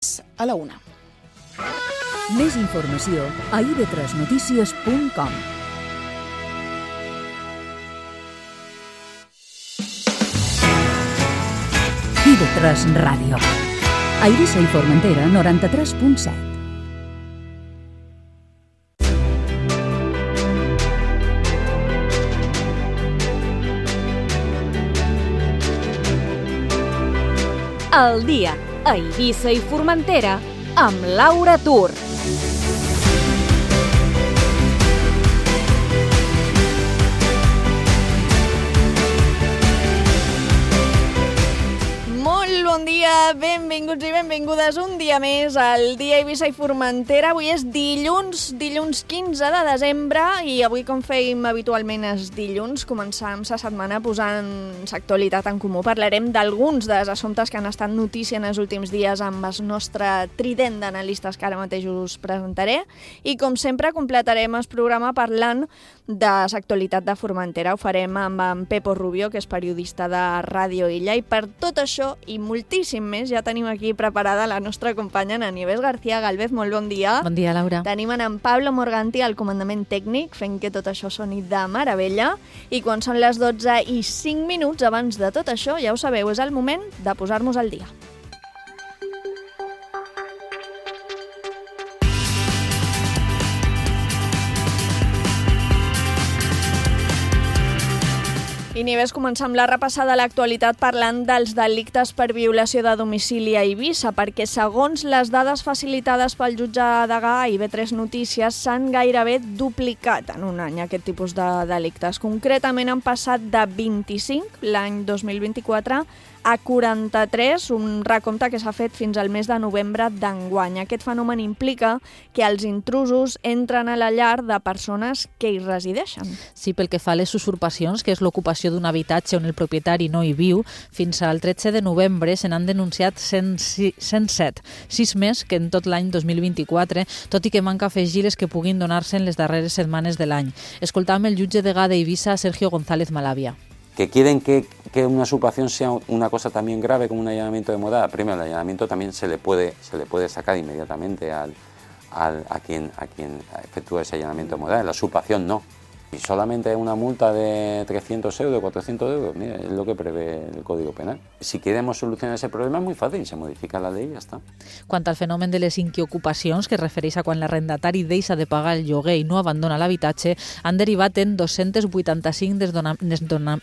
a la 1. Més informació a ib3notícies.com. IB3 Ràdio. A Eivissa i Formentera, 93.7. El dia a Eivissa i Formentera amb Laura Tur. Bon dia, benvinguts i benvingudes un dia més al dia Eivissa i Formentera. Avui és dilluns 15 de desembre i avui, com fèiem habitualment és dilluns, començam la setmana posant l'actualitat en comú. Parlarem d'alguns dels assumptes que han estat notícia en els últims dies amb el nostre trident d'analistes que ara mateix us presentaré i, com sempre, completarem el programa parlant de l'actualitat de Formentera. Ho farem amb en Pepo Rubio, que és periodista de Ràdio Illa, i per tot això i moltíssim més ja tenim aquí preparada la nostra companya Nieves García Galvez. Molt bon dia. Bon dia, Laura. Tenim en Pablo Morganti al comandament tècnic fent que tot això soni de meravella, i quan són les 12:05 abans de tot això, ja ho sabeu, és el moment de posar-nos al dia. I Nieves, començar amb la repassada de l'actualitat parlant dels delictes per violació de domicili a Eivissa, perquè segons les dades facilitades pel jutge Degà a IB3 Notícies s'han gairebé duplicat en un any aquest tipus de delictes. Concretament han passat de 25 l'any 2024 a 43, un recompte que s'ha fet fins al mes de novembre d'enguany. Aquest fenomen implica que els intrusos entren a la llar de persones que hi resideixen. Sí, pel que fa a les usurpacions, que és l'ocupació d'un habitatge on el propietari no hi viu, fins al 13 de novembre se n'han denunciat 107, 6 més que en tot l'any 2024, tot i que manca afegir les que puguin donar-se en les darreres setmanes de l'any. Escoltam el jutge degà d'Eivissa, Sergio González Malavia. Que quieren que una usurpación sea una cosa también grave como un allanamiento de morada. Primero, el allanamiento también se le puede sacar inmediatamente a quien efectúa ese allanamiento de morada. La usurpación no. Y solamente una multa de 300 euros, 400 euros, mira, es lo que prevé el Código Penal. Si queremos solucionar ese problema es muy fácil, se modifica la ley y ya està. Quant al fenomen de les inquiocupacions, que es refereix a quan l'arrendatari deixa de pagar el lloguer i no abandona l'habitatge, han derivat en 285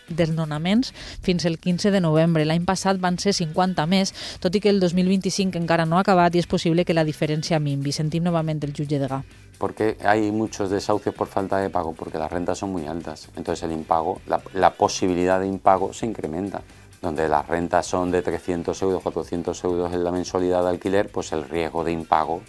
desnonaments fins el 15 de novembre. L'any passat van ser 50 més, tot i que el 2025 encara no ha acabat i és possible que la diferència minvi. Sentim novament el jutge Degà. Porque hay muchos desahucios por falta de pago, porque las rentas son muy altas. Entonces el impago, la posibilidad de impago se incrementa. Donde las rentas son de 300 euros, 400 euros en la mensualidad de alquiler, pues el riesgo de impago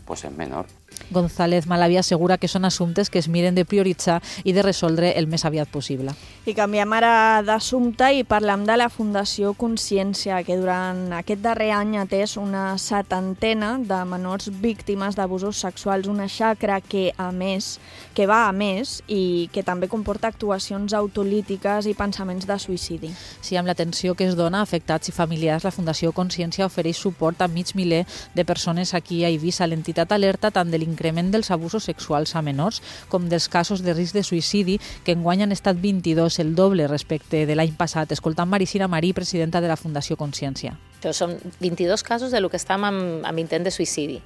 pues es menor. González Malavia assegura que són assumptes que es miren de prioritzar i de resoldre el més aviat possible. I canviem ara d'assumpte i parlem de la Fundació Consciència, que durant aquest darrer any ha atès una 70ena de menors víctimes d'abusos sexuals, una xacra que va a més i que també comporta actuacions autolítiques i pensaments de suïcidi. Sí, amb l'atenció que es dona a afectats i familiars, la Fundació Consciència ofereix suport a mig miler de persones aquí a Eivissa. L'entitat alerta tant de l'increment dels abusos sexuals a menors com dels casos de risc de suïcidi, que enguany han estat 22, el doble respecte de l'any passat. Escoltant Maricina Marí, presidenta de la Fundació Consciència. Són 22 casos de lo que estem amb intent de suïcidi,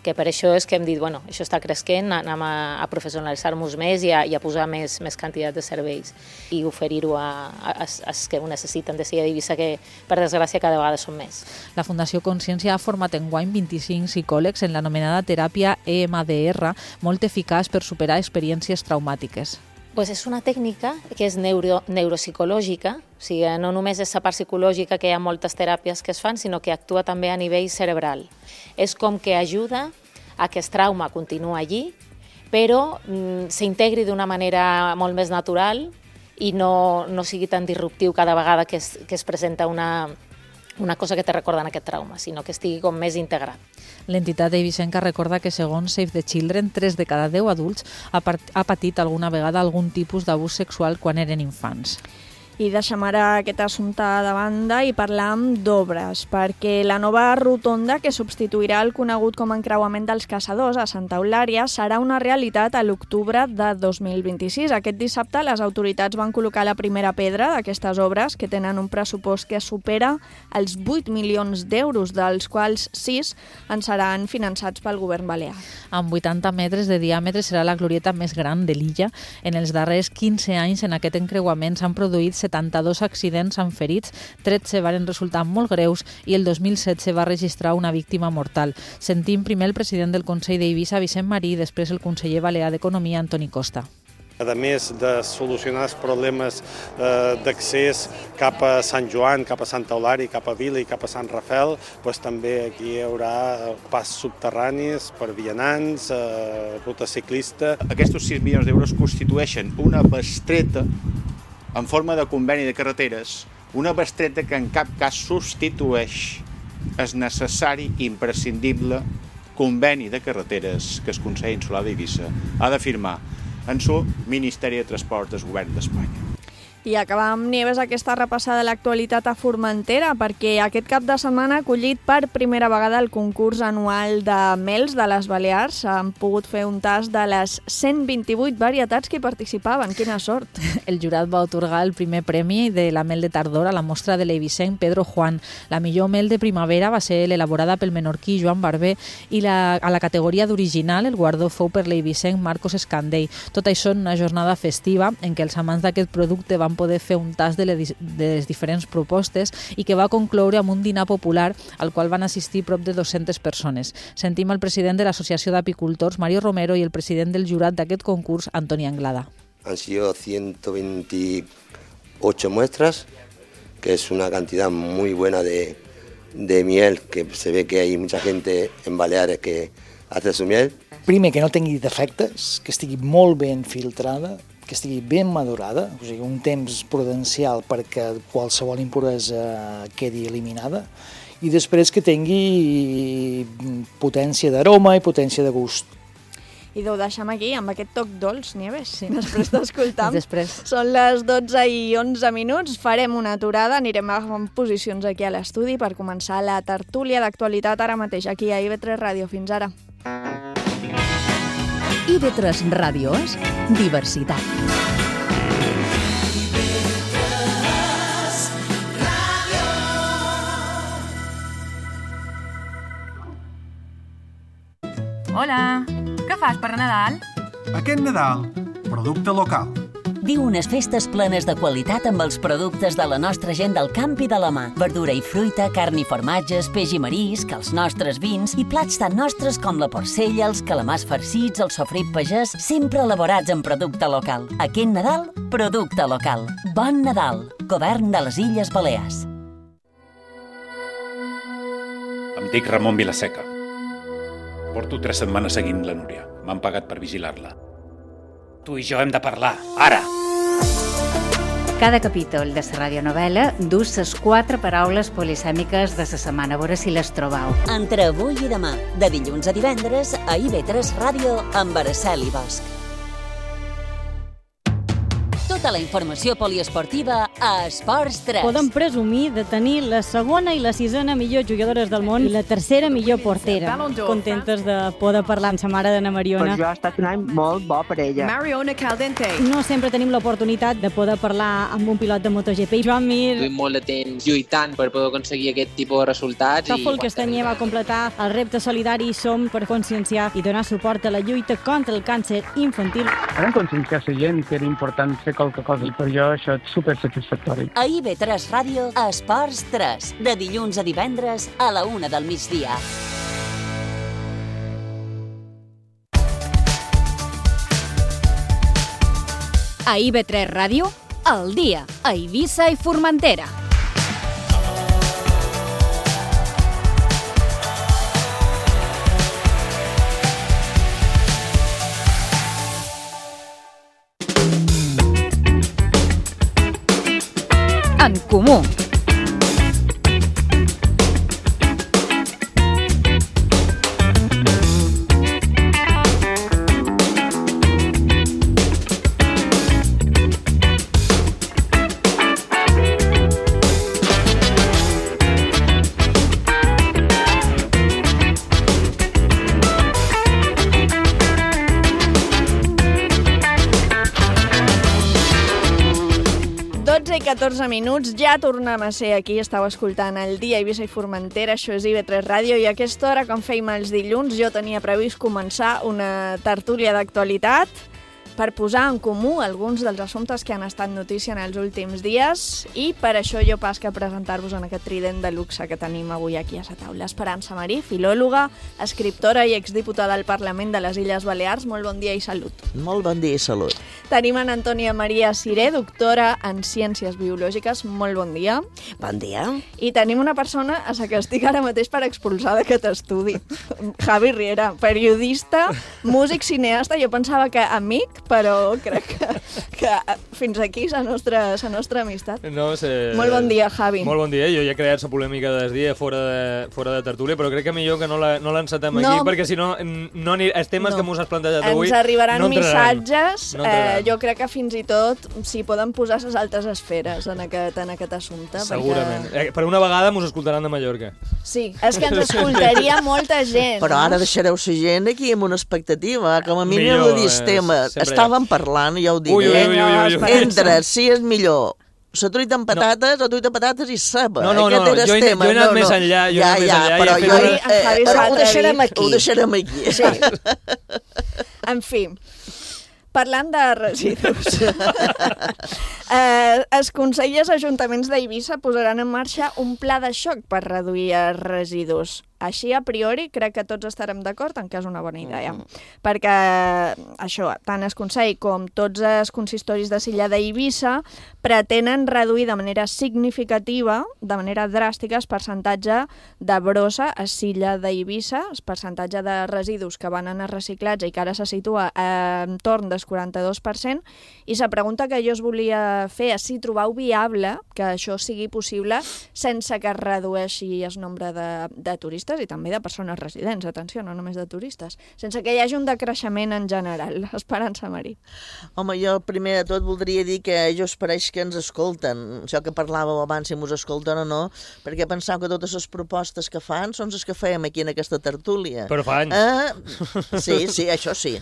que per això és que hem dit, bueno, això està cresquent, anem a professionalitzar-nos més i a posar més quantitat de serveis i oferir-ho als que ho necessiten de ser a Eivissa, que per desgràcia cada vegada són més. La Fundació Consciència ha format enguany 25 psicòlegs en l'anomenada teràpia EMDR, molt eficaç per superar experiències traumàtiques. Pues és una tècnica que és neuropsicològica, o sigui, no només és la part psicològica, que hi ha moltes teràpies que es fan, sinó que actua també a nivell cerebral. És com que ajuda a que el trauma continua allí, però s'integri d'una manera molt més natural i no sigui tan disruptiu cada vegada que es presenta una cosa que te recorda en aquest trauma, sinó que estigui com més integrat. L'entitat eivissenca recorda que, segons Save the Children, 3 de cada 10 adults ha patit alguna vegada algun tipus d'abús sexual quan eren infants. I deixem ara aquest assumpte de banda i parlam d'obres, perquè la nova rotonda que substituirà el conegut com a encreuament dels Caçadors a Santa Eulària serà una realitat a l'octubre de 2026. Aquest dissabte les autoritats van col·locar la primera pedra d'aquestes obres, que tenen un pressupost que supera els 8 milions d'euros, dels quals 6 en seran finançats pel govern balear. Amb 80 metres de diàmetre serà la glorieta més gran de l'illa. En els darrers 15 anys en aquest encreuament s'han produït 72 accidents amb ferits, 13 van resultar molt greus i el 2016 va registrar una víctima mortal. Sentim primer el president del Consell d'Eivissa, Vicent Marí, i després el conseller balear d'Economia, Antoni Costa. A més de solucionar els problemes d'accés cap a Sant Joan, cap a Santa Eulària, cap a Vila i cap a Sant Rafel, també aquí hi haurà pas subterranis per vianants, ruta ciclista. Aquests 6 milions d'euros constitueixen una bestreta en forma de conveni de carreteres, una bestreta que en cap cas substitueix el necessari i imprescindible conveni de carreteres que el Consell Insular d'Eivissa ha de firmar en su Ministeri de Transports del Govern d'Espanya. I acabam, Nieves, aquesta repassada de l'actualitat a Formentera, perquè aquest cap de setmana ha acollit per primera vegada el concurs anual de mels de les Balears. Han pogut fer un tast de les 128 varietats que hi participaven. Quina sort! El jurat va atorgar el primer premi de la mel de tardor a la mostra de l'eivissenc Pedro Juan. La millor mel de primavera va ser l'elaborada pel menorquí Joan Barber i a la categoria d'original el guardó fou per l'eivissenc Marcos Escandell. Tot això en una jornada festiva en què els amants d'aquest producte van poder fer un tast de les diferents propostes i que va concloure amb un dinar popular al qual van assistir prop de 200 persones. Sentim el president de l'Associació d'Apicultors, Mario Romero, i el president del jurat d'aquest concurs, Antoni Anglada. Han sido 128 muestras, que es una cantidad muy buena de miel, que se ve que hay mucha gente en Baleares que hace su miel. Primer, que no tingui defectes, que estigui molt ben filtrada, que estigui ben madurada, o sigui, un temps prudencial perquè qualsevol impuresa quedi eliminada, i després que tingui potència d'aroma i potència de gust. I ho deixem aquí, amb aquest toc dolç, Nieves, sí. Després d'escoltar. Després. Són les 12:11. Farem una aturada, anirem agafant posicions aquí a l'estudi per començar la tertúlia d'actualitat ara mateix, aquí a IB3 Ràdio. Fins ara. IB3 Ràdio és diversitat. Hola, què fas per Nadal? Aquest Nadal, producte local. Viu unes festes plenes de qualitat amb els productes de la nostra gent del camp i de la mà. Verdura i fruita, carn i formatges, peix i marisc, els nostres vins i plats tan nostres com la porcella, els calamars farcits, el sofrit pagès, sempre elaborats en producte local. Aquest Nadal, producte local. Bon Nadal, Govern de les Illes Balears. Em dic Ramon Vilaseca. Porto 3 setmanes seguint la Núria. M'han pagat per vigilar-la. Tu i jo hem de parlar, ara! Cada capítol de la radionovel·la dus les 4 paraules polisèmiques de la setmana, a veure si les trobau. Entre avui i demà, de dilluns a divendres, a IB3 Ràdio amb Araceli Bosch. Tota la informació poliesportiva a Esports 3. Podem presumir de tenir la segona i la 6a millor jugadores del món i la 3a millor portera. Contentes de poder parlar amb sa mare d'Anna Mariona. Per jo ha estat un any molt bo per ella. Mariona Caldente. No sempre tenim l'oportunitat de poder parlar amb un pilot de MotoGP. Joan Mir. Duim molt de temps lluitant per poder aconseguir aquest tipus de resultats. Tòfol Castanyer va completar el repte solidari Som per conscienciar i donar suport a la lluita contra el càncer infantil. Vam conscienciar la gent que era important fer qualque cosa i per jo això és supersatisfactori. A IB3 Ràdio, a Esports 3, de dilluns a divendres a la 1 del migdia. A IB3 Ràdio, al dia, a Eivissa i Formentera. En comú. 14 minuts, ja tornem a ser aquí, estàu escoltant el Dia Eivissa i Formentera, això és IB3 Ràdio, i a aquesta hora, com fèiem els dilluns, jo tenia previst començar una tertúlia d'actualitat per posar en comú alguns dels assumptes que han estat notícia en els últims dies, i per això jo pas que presentar-vos en aquest trident de luxe que tenim avui aquí a la taula. Esperança Marí, filòloga, escriptora i exdiputada al Parlament de les Illes Balears. Molt bon dia i salut. Molt bon dia i salut. Tenim en Antònia Maria Siré, doctora en Ciències Biològiques. Molt bon dia. Bon dia. I tenim una persona a la que estic ara mateix per expulsar d'aquest estudi. Javi Riera, periodista, músic, cineasta. Jo pensava que amic, però crec que fins aquí la nostra amistat. No sé... Molt bon dia, Javi. Molt bon dia. Jo ja he creat la polèmica del dia fora de tertúlia, però crec que millor que no l'encetem aquí, perquè si no, els temes que m'us has plantejat avui ens arribaran no missatges. Jo crec que fins i tot s'hi poden posar les altres esferes en aquest assumpte. Segurament. Per una vegada m'us escoltaran de Mallorca. Sí, és que ens escoltaria molta gent. Però ara deixareu la gent aquí amb una expectativa, com a mínim ho dius temes. Estàvem parlant, ja ho diré. Entre si és millor la truita amb patates o truita amb patates i ceba. No, jo he anat més enllà. Però ho deixarem aquí. En fi, parlant de residus, els Consells i els Ajuntaments d'Eivissa posaran en marxa un pla de xoc per reduir els residus. Així, a priori, crec que tots estarem d'acord en que és una bona idea. Perquè això, tant el Consell com tots els consistoris de l'illa d'Eivissa pretenen reduir de manera significativa, de manera dràstica, el percentatge de brossa a l'illa d'Eivissa, el percentatge de residus que van anar reciclats i que ara se situa entorn del 42%, i la pregunta que jo us volia fer és si trobeu viable que això sigui possible sense que es redueixi el nombre de turistes i també de persones residents, atenció, no només de turistes, sense que hi hagi un decreixement en general. Esperança Marí. Home, jo primer de tot voldria dir que jo pareix que ens escolten, això que parlàveu abans, si mos escolten o no, perquè pensau que totes les propostes que fan són les que fèiem aquí en aquesta tertúlia. Però fa anys. Sí, això sí.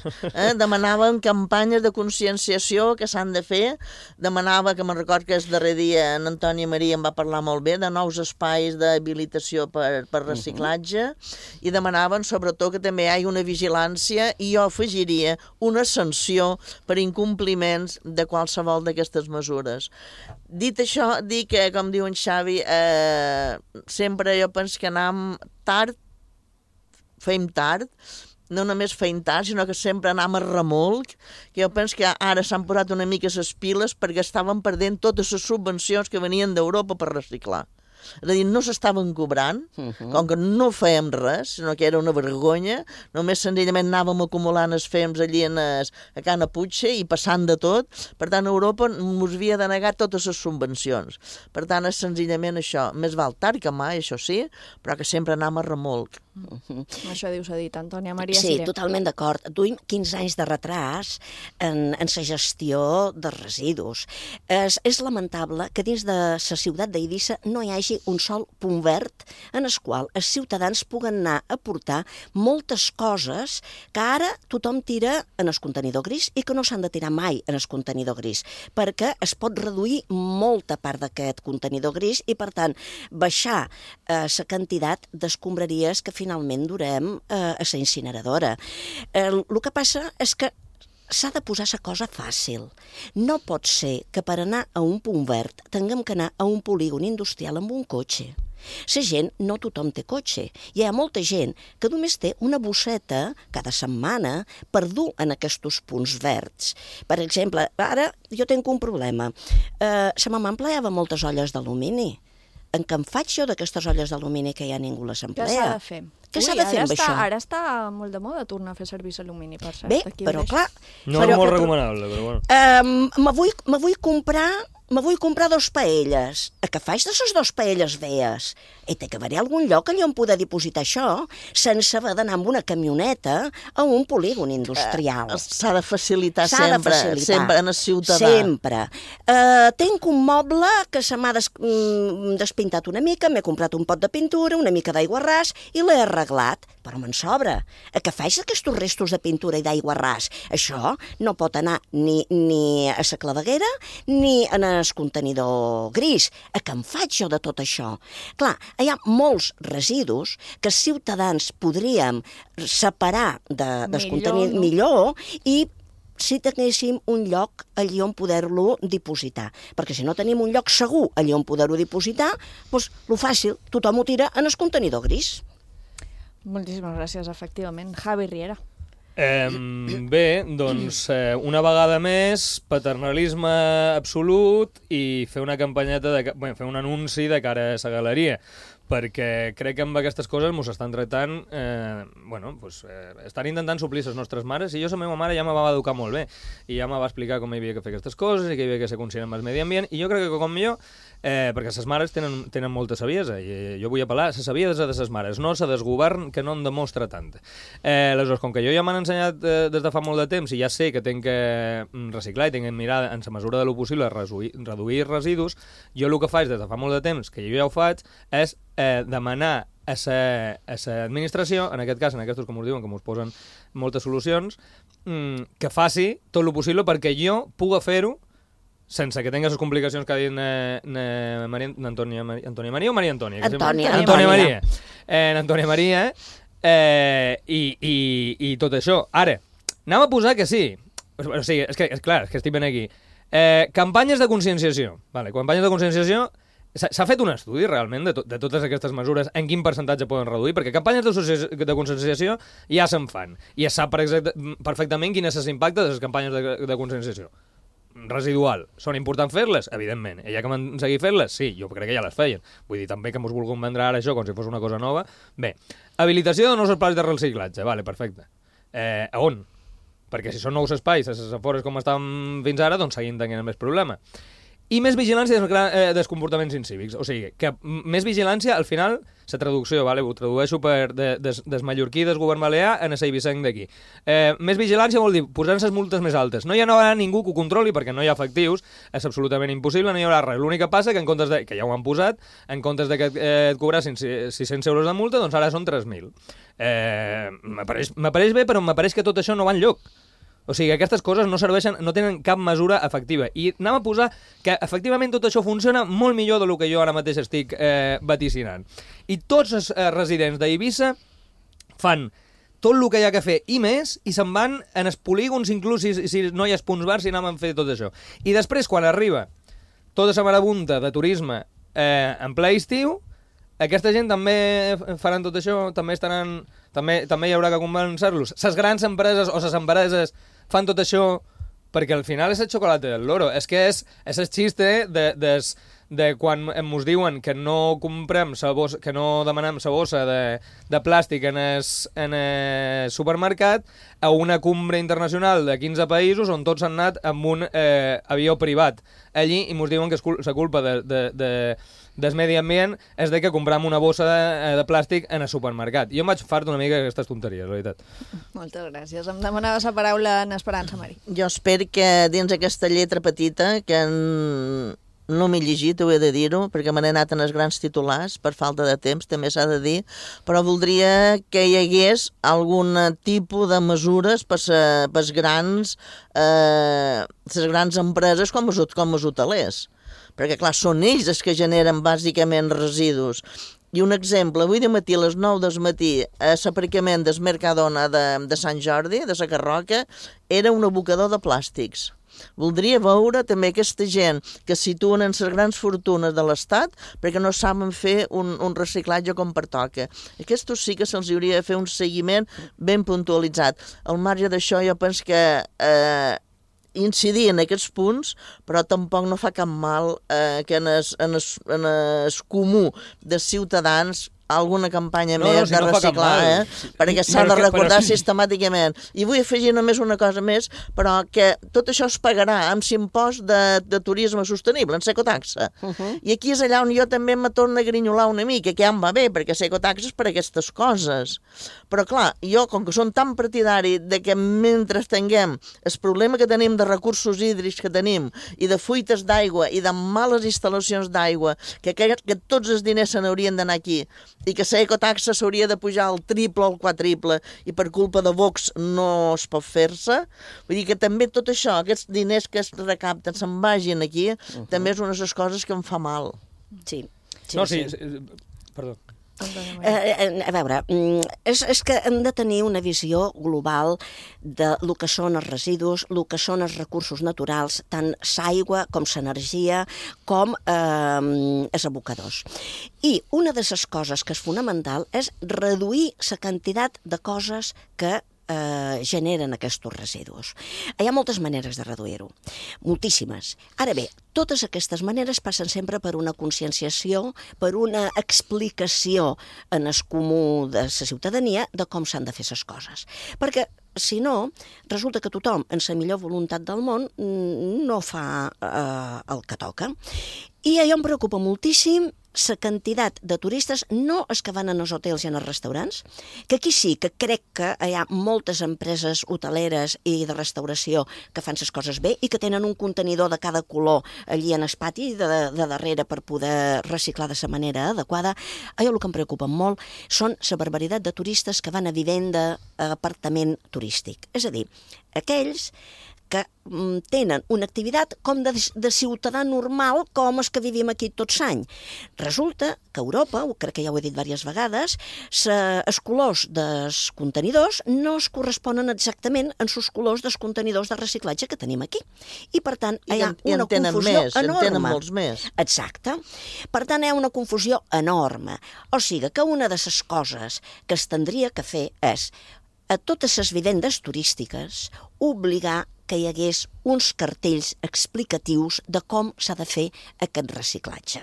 Demanaven campanyes de conscienciació que s'han de fer, demanava, que me'n record que el darrer dia en Antònia Maria em va parlar molt bé, de nous espais d'habilitació per reciclatge, i demanaven sobretot que també hi hagi una vigilància i jo afegiria una sanció per incompliments de qualsevol d'aquestes mesures. Dit això, dir que, com diu en Xavi, sempre jo penso que anem tard, fem tard, no només feim tard, sinó que sempre anem a remolc, que jo penso que ara s'han posat una mica les piles perquè estaven perdent totes les subvencions que venien d'Europa per reciclar. És a dir, no s'estaven cobrant, com que no fèiem res, sinó que era una vergonya, només senzillament anàvem acumulant els fems allí a Can Aputxa i passant de tot. Per tant, Europa ens havia de negar totes les subvencions. Per tant, és senzillament això. Més val tard que mai, això sí, però que sempre anem a remolc. Això dius a dit, Antònia Maria Sí, Siré. totalment d'acord. Duim 15 anys de retras en la gestió de residus. És lamentable que dins de la ciutat d'Eivissa no hi hagi un sol punt verd en el qual els ciutadans puguen anar a portar moltes coses que ara tothom tira en el contenidor gris i que no s'han de tirar mai en el contenidor gris, perquè es pot reduir molta part d'aquest contenidor gris i, per tant, baixar la quantitat d'escombraries que finalment durem a la incineradora. El que passa és que s'ha de posar la cosa fàcil. No pot ser que per anar a un punt verd tinguem que anar a un polígon industrial amb un cotxe. La gent, no tothom té cotxe. Hi ha molta gent que només té una bosseta cada setmana per dur en aquests punts verds. Per exemple, ara jo tinc un problema. La mamà empleava moltes olles d'alumini. En què em faig jo d'aquestes olles d'alumini que ja ningú les emplea? Què s'ha de fer? Què s'ha de fer amb això? Ara està molt de moda tornar a fer servir l'alumini, per cert. Bé, però clar... No és molt recomanable, però bueno. Me vull comprar 2 paelles. A què faig de les 2 paelles veies? I té que haver algun lloc allà on poder dipositar això sense haver d'anar amb una camioneta a un polígon industrial. S'ha de facilitar sempre en el ciutadà. Sempre. Tinc un moble que se m'ha despintat una mica, m'he comprat un pot de pintura, una mica d'aigua ras i l'he arreglat. però me'n sobra. A què faig aquests restos de pintura i d'aigua ras? Això no pot anar ni a la claveguera ni en el contenidor gris. A què en faig jo de tot això? Clar, hi ha molts residus que els ciutadans podríem separar del contenidor millor i si tinguéssim un lloc allí on poder-lo dipositar. Perquè si no tenim un lloc segur allí on poder-ho dipositar, doncs lo fàcil, tothom ho tira en el contenidor gris. Moltíssimes gràcies, efectivament. Javi Riera. Bé, doncs una vegada més, paternalisme absolut i fer una campanyeta, fer un anunci de cara a la galeria, perquè crec que amb aquestes coses ens estan tractant, estan intentant suplir les nostres mares, i jo la meva mare ja me va educar molt bé, i ja me va explicar com hi havia que fer aquestes coses, i que hi havia que ser conscient amb el medi ambient, i jo crec que com millor, perquè les mares tenen molta saviesa, i jo vull apel·lar a la saviesa de les mares, no a desgovern que no en demostra tant. Aleshores, com que jo ja m'han ensenyat des de fa molt de temps, i ja sé que tinc que reciclar i tinc que mirar en la mesura de lo possible reduir residus, jo el que faig des de fa molt de temps, que jo ja ho faig, és demanar a l'administració, en aquest cas, en aquests com us diuen, que us posen moltes solucions, que faci tot el possible perquè jo pugui fer-ho sense que tingui les complicacions que ha dit Antònia Maria o Maria Antònia? Antònia Maria. Antònia Maria, i tot això. Ara, anem a posar que sí. O sigui, és clar, és que estic ben aquí. Campanyes de conscienciació. Campanyes de conscienciació. S'ha fet un estudi, realment, de totes aquestes mesures, en quin percentatge poden reduir? Perquè campanyes de conscienciació ja se'n fan. I es sap perfectament quin és l'impacte de les campanyes de conscienciació. Residual. Són importants fer-les? Evidentment. Hi ha que seguir fer-les? Sí, jo crec que ja les feien. Vull dir, també que mos vulguin vendre ara això com si fos una cosa nova. Bé, habilitació de nous espais de reciclatge. Vale, perfecte. A on? Perquè si són nous espais, a les afores com estan fins ara, doncs seguim tenint més problema. I més vigilància dels comportaments incívics. O sigui, que més vigilància, al final, la traducció, ho tradueixo des mallorquí, des govern balear, en el eivissenc d'aquí. Més vigilància vol dir posar-se les multes més altes. No hi haurà ningú que ho controli perquè no hi ha efectius, és absolutament impossible, no hi haurà res. L'únic que passa que en comptes de, que ja ho han posat, en comptes de que et cobrassin 600 euros de multa, doncs ara són 3.000. M'apareix bé, però m'apareix que tot això no va enlloc. O sigui, aquestes coses no serveixen, no tenen cap mesura efectiva. I anem a posar que efectivament tot això funciona molt millor del que jo ara mateix estic vaticinant. I tots els residents d'Eivissa fan tot el que hi ha que fer i més, i se'n van en els polígons, inclús si no hi ha punts bars, si anem a fer tot això. I després, quan arriba tota la marabunta de turisme en ple estiu, aquesta gent també faran tot això, també hi haurà que convencer-los. Les grans empreses o les empreses fan tot això perquè al final és el xocolate del loro. És que és el xiste de quan ens diuen que no comprem que no demanem la bossa de plàstic en el supermercat a una cumbre internacional de 15 països on tots han anat amb un avió privat allí i ens diuen que la culpa del medi ambient és de que comprem una bossa de plàstic en el supermercat. Jo em vaig fart una mica d'aquestes tonteries, la veritat. Moltes gràcies. Em demanaves la paraula en Esperança, Mari. Jo espero que dins aquesta lletra petita, que no m'he llegit, ho he de dir-ho, perquè me n'he anat en els grans titulars, per falta de temps, també s'ha de dir, però voldria que hi hagués algun tipus de mesures per les grans empreses com els hotelers. Perquè, clar, són ells els que generen bàsicament residus. I un exemple, avui de matí a les 9 del matí, a l'aparcament del Mercadona de Sant Jordi, de la Carroca, era un abocador de plàstics. Voldria veure també aquesta gent que situen en les grans fortunes de l'Estat perquè no saben fer un reciclatge com pertoca. Aquests sí que se'ls hauria de fer un seguiment ben puntualitzat. Al marge d'això jo penso que incidir en aquests punts, però tampoc no fa cap mal que en el comú de ciutadans alguna campanya més de reciclar, perquè s'ha de recordar sistemàticament. I vull afegir només una cosa més, però que tot això es pagarà amb l'impost de turisme sostenible, en l'ecotaxa. I aquí és allà on jo també me torno a grinyolar una mica, que ja em va bé, perquè l'ecotaxa és per aquestes coses. Però clar, jo, com que som tan partidari de que mentre tinguem el problema que tenim de recursos hídrics que tenim, i de fuites d'aigua, i de males instal·lacions d'aigua, que tots els diners se n'haurien d'anar aquí, i que l'ecotaxa s'hauria de pujar al triple o al quadriple i per culpa de Vox no es pot fer-se. Vull dir que també tot això, aquests diners que es recapten se'n vagin aquí, també és una de les coses que em fa mal. Sí. Perdó. A veure, és que hem de tenir una visió global de lo que són els residus, el que són els recursos naturals, tant l'aigua com l'energia, com els abocadors. I una de les coses que és fonamental és reduir la quantitat de coses que generen aquests residus. Hi ha moltes maneres de reduir-ho, moltíssimes. Ara bé, totes aquestes maneres passen sempre per una conscienciació, per una explicació en el comú de la ciutadania de com s'han de fer les coses. Perquè, si no, resulta que tothom, en la millor voluntat del món, no fa el que toca. I allò em preocupa moltíssim la quantitat de turistes, no els que van als hotels i als restaurants, que aquí sí que crec que hi ha moltes empreses hoteleres i de restauració que fan les coses bé i que tenen un contenidor de cada color allí en el pati de darrere per poder reciclar de la manera adequada. Allò el que em preocupa molt són la barbaritat de turistes que van a vivenda a apartament turístic. És a dir, aquells que tenen una activitat com de ciutadà normal com els que vivim aquí tots l'any. Resulta que a Europa, crec que ja ho he dit diverses vegades, els colors dels contenidors no es corresponen exactament amb els colors dels contenidors de reciclatge que tenim aquí. I per tant hi ha una confusió enorme. En tenen molts més. Exacte. Per tant hi ha una confusió enorme. O sigui que una de les coses que es tindria que fer és a totes les vivendes turístiques obligar que hi hagués uns cartells explicatius de com s'ha de fer aquest reciclatge.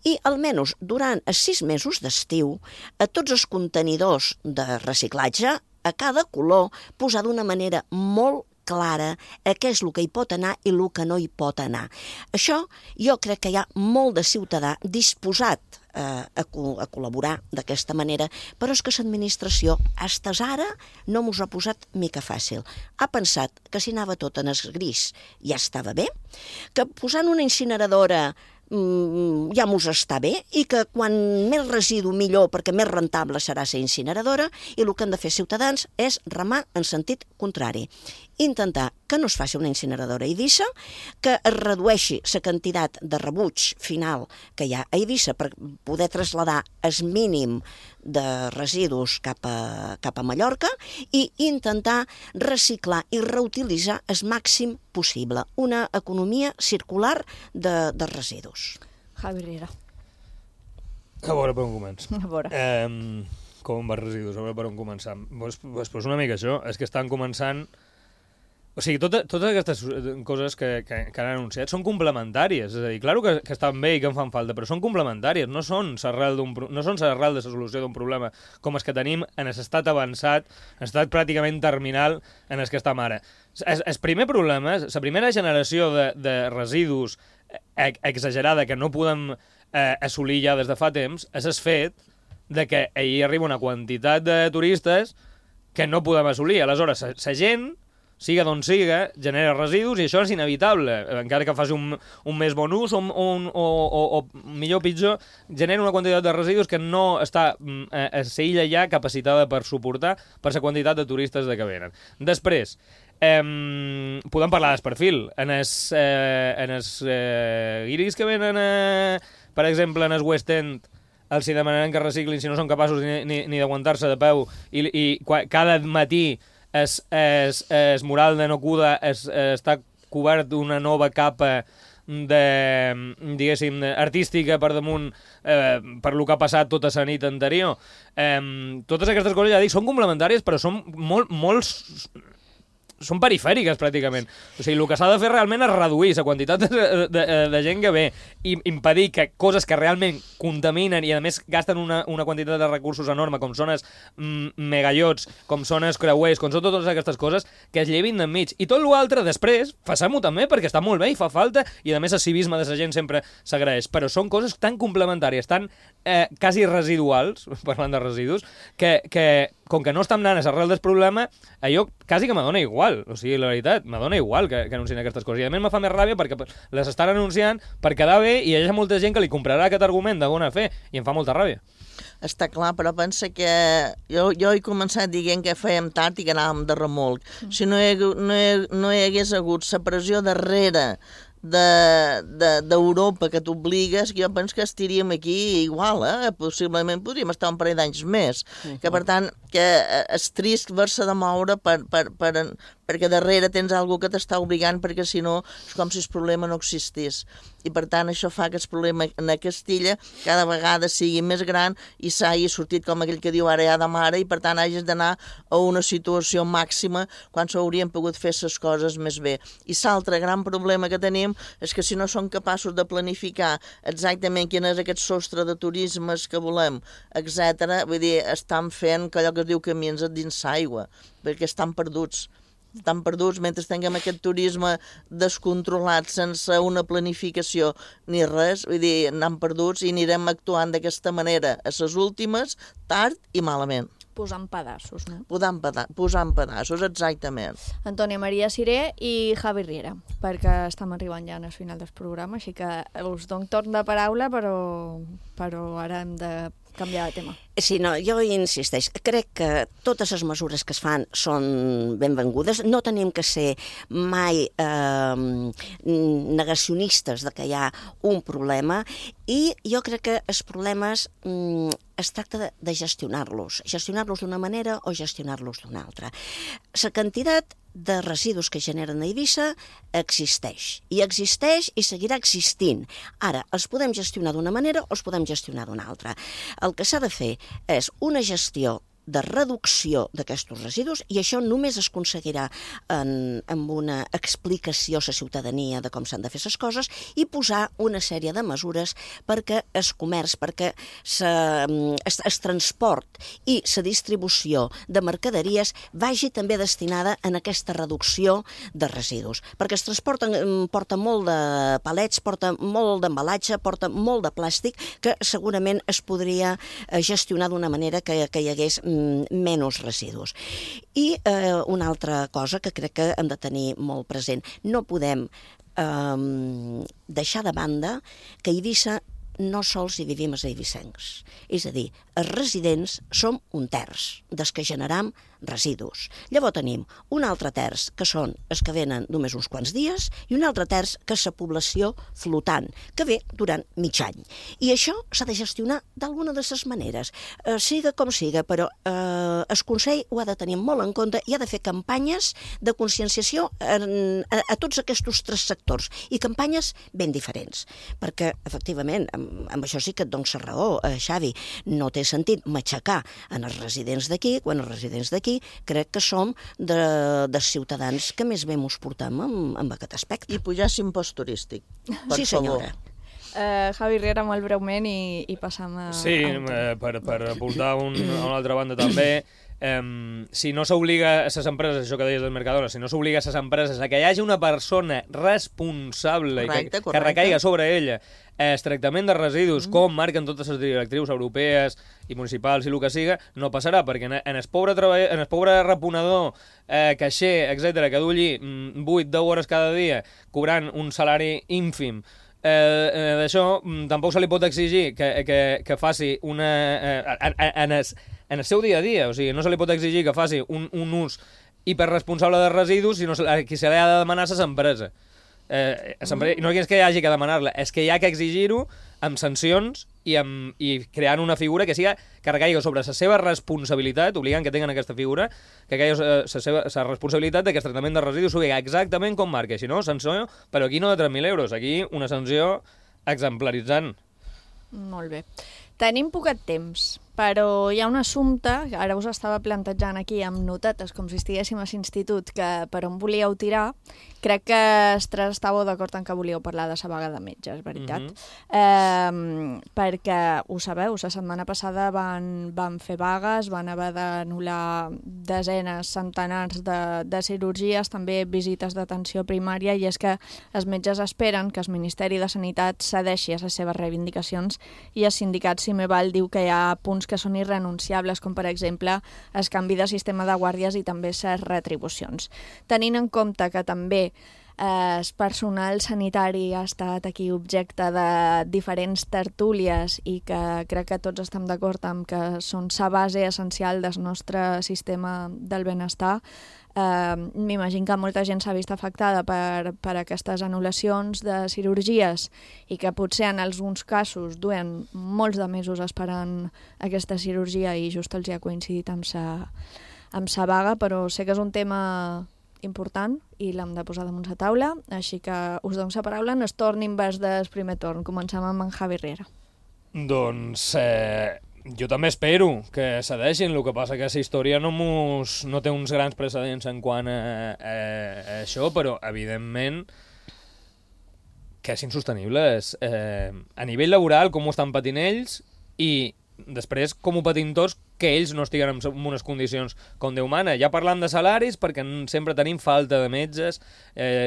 I almenys durant els 6 mesos d'estiu, a tots els contenidors de reciclatge, a cada color, posar d'una manera molt clara què és el que hi pot anar i el que no hi pot anar. Això jo crec que hi ha molt de ciutadà disposat a col·laborar d'aquesta manera, però és que l'administració fins ara no mos ha posat mica fàcil. Ha pensat que si anava tot en el gris ja estava bé, que posant una incineradora ja mos està bé i que quan més residu millor perquè més rentable serà la incineradora i el que han de fer ciutadans és remar en sentit contrari. Intentar que no es faci una incineradora a Eivissa, que es redueixi la quantitat de rebuig final que hi ha a Eivissa per poder traslladar el mínim de residus cap a Mallorca i intentar reciclar i reutilitzar el màxim possible. Una economia circular de residus. Javi Riera. A veure per on comença. A veure. Com va residus, a veure per on començar. Pues una mica això, és que estan començant... O sigui, totes aquestes coses que han anunciat són complementàries. És a dir, clar que estan bé i que en fan falta, però són complementàries, no són l'arrel de la solució d'un problema com els que tenim en l'estat avançat, en l'estat pràcticament terminal en els que estem ara. El primer problema, la primera generació de residus exagerada que no podem assolir ja des de fa temps, és el fet de que ahir arriba una quantitat de turistes que no podem assolir. Aleshores, la gent, siga d'on siga, genera residus i això és inevitable. Encara que faci un més bon ús o millor o pitjor, genera una quantitat de residus que no està a illa ja capacitada per suportar per la quantitat de turistes que venen. Després, podem parlar del perfil. En els guiris que venen, per exemple, en el West End, els hi demanaran que reciclin si no són capaços ni d'aguantar-se de peu i cada matí el mural de Nokuda està cobert d'una nova capa diguéssim, artística per damunt per lo que ha passat tota la nit anterior. Totes aquestes coses, ja dic, són complementàries, però són són perifèriques, pràcticament. O sigui, el que s'ha de fer realment és reduir la quantitat de gent que ve i impedir que coses que realment contaminen i, a més, gasten una quantitat de recursos enorme, com són els megallots, com són els creuers, com són totes aquestes coses, que es llevin d'enmig. I tot l'altre, després, facem-ho també, perquè està molt bé i fa falta, i, a més, el civisme de la gent sempre s'agraeix. Però són coses tan complementàries, tan quasi residuals, parlant de residus, que com que no estan anant a l'arrel del problema, allò quasi que m'adona igual. O sigui, la veritat, m'adona igual que anuncien aquestes coses. I a més me fa més ràbia perquè les estan anunciant per quedar bé i hi ha molta gent que li comprarà aquest argument de bona fe i em fa molta ràbia. Està clar, però pensa que jo he començat dient que fèiem tard i que anàvem de remolc. Si no hi hagués hagut la pressió darrere d'Europa que t'obligues, jo penso que estiríem aquí igual, possiblement podríem estar un parell d'anys més. Que per tant, que és trist haver-se de moure perquè darrere tens algú que t'està obligant, perquè si no és com si el problema no existís. I per tant això fa que el problema en Castilla cada vegada sigui més gran i s'hagi sortit, com aquell que diu ara ja de mare, i per tant hagis d'anar a una situació màxima quan s'haurien pogut fer les coses més bé. I l'altre gran problema que tenim és que si no som capaços de planificar exactament quin és aquest sostre de turismes que volem, etc., vull dir, estan fent allò que es diu camins dins l'aigua, perquè estan perduts mentre tinguem aquest turisme descontrolat sense una planificació ni res, vull dir, anem perduts i anirem actuant d'aquesta manera a les últimes, tard i malament. Posant pedaços, no? Posant pedaços, exactament. Antònia Maria Siré i Javi Riera, perquè estem arribant ja al final del programa, així que us dono torn de paraula, però ara hem de canviar de tema. Sí, no, jo insisteix. Crec que totes les mesures que es fan són benvingudes. No tenim que ser mai negacionistes de que hi ha un problema i jo crec que els problemes es tracta de gestionar-los d'una manera o gestionar-los d'una altra. La quantitat de residus que generen a Eivissa existeix i seguirà existint. Ara, els podem gestionar d'una manera o els podem gestionar d'una altra. El que s'ha de fer és una gestió de reducció d'aquests residus i això només es aconseguirà amb una explicació a la ciutadania de com s'han de fer les coses i posar una sèrie de mesures perquè el comerç, perquè el transport i la distribució de mercaderies vagi també destinada en aquesta reducció de residus. Perquè el transport porta molt de palets, porta molt d'embalatge, porta molt de plàstic que segurament es podria gestionar d'una manera que hi hagués menys residus. I una altra cosa que crec que hem de tenir molt present, no podem deixar de banda que a Eivissa no sols hi vivim els eivissencs. És a dir, els residents som un terç dels que generam residus. Llavors tenim un altre terç que són els que venen només uns quants dies i un altre terç que és la població flotant, que ve durant mig any. I això s'ha de gestionar d'alguna de les maneres. Siga com siga, però el Consell ho ha de tenir molt en compte i ha de fer campanyes de conscienciació a tots aquests tres sectors i campanyes ben diferents. Perquè, efectivament, amb això sí que et dono la raó, Xavi, no té sentit matxacar en els residents d'aquí, quan els residents d'aquí crec que som dels ciutadans que més bé mos portem amb aquest aspecte. I pujar l'impost turístic, per favor. Sí, senyora. Javi Riera, molt breument i passam a... Sí, per apuntar a una altra banda també, si no s'obliga a les empreses, això que deies del Mercadona, si no s'obliga a les empreses a que hi hagi una persona responsable correcte, que recaiga sobre ella el tractament de residus, com marquen totes les directrius europees i municipals i el que siga, no passarà, perquè en el pobre reponedor, caixer, etc., que du allí 8-10 hores cada dia cobrant un salari ínfim, d'això tampoc se li pot exigir que faci una... en el seu dia a dia, o sigui, no se li pot exigir que faci un ús hiperresponsable de residus, sinó que se li ha de demanar a les empreses. No és que hi hagi que demanar-la, és que hi ha que exigir-ho amb sancions i creant una figura que recaigui sobre la seva responsabilitat, obligant que tinguin aquesta figura, que caigui la responsabilitat que el tractament de residus sigui exactament com marca. Si no, sanció, però aquí no de 3.000 euros, aquí una sanció exemplaritzant. Molt bé. Tenim poquet temps, però hi ha un assumpte, que ara us estava plantejant aquí amb notetes, com si estiguéssim a l'institut, que per on volíeu tirar. Crec que els tres estàveu d'acord en que volíeu parlar de la vaga de metges, veritat? Perquè, ho sabeu, la setmana passada van fer vagues, van haver d'anul·lar desenes, centenars de cirurgies, també visites d'atenció primària, i és que els metges esperen que el Ministeri de Sanitat cedeixi a les seves reivindicacions, i el sindicat Cimeval diu que hi ha punts que són irrenunciables, com per exemple el canvi de sistema de guàrdies i també les retribucions. Tenint en compte que també el personal sanitari ha estat aquí objecte de diferents tertúlies i que crec que tots estem d'acord amb que són la base essencial del nostre sistema del benestar, m'imagino que molta gent s'ha vist afectada per aquestes anul·lacions de cirurgies i que potser en alguns casos duen molts de mesos esperant aquesta cirurgia i just els hi ha coincidit amb sa vaga, però sé que és un tema important i l'hem de posar damunt la taula, així que us dono la paraula en el torn invers del primer torn. Comencem amb en Javi Riera. Doncs jo també espero que cedeixin, el que passa que la història no té uns grans precedents en quant a això, però evidentment que és insostenible. A nivell laboral, com ho estan patint ells, i després com ho patim tots, que ells no estiguen en unes condicions com Déu mana. Ja parlant de salaris, perquè sempre tenim falta de metges,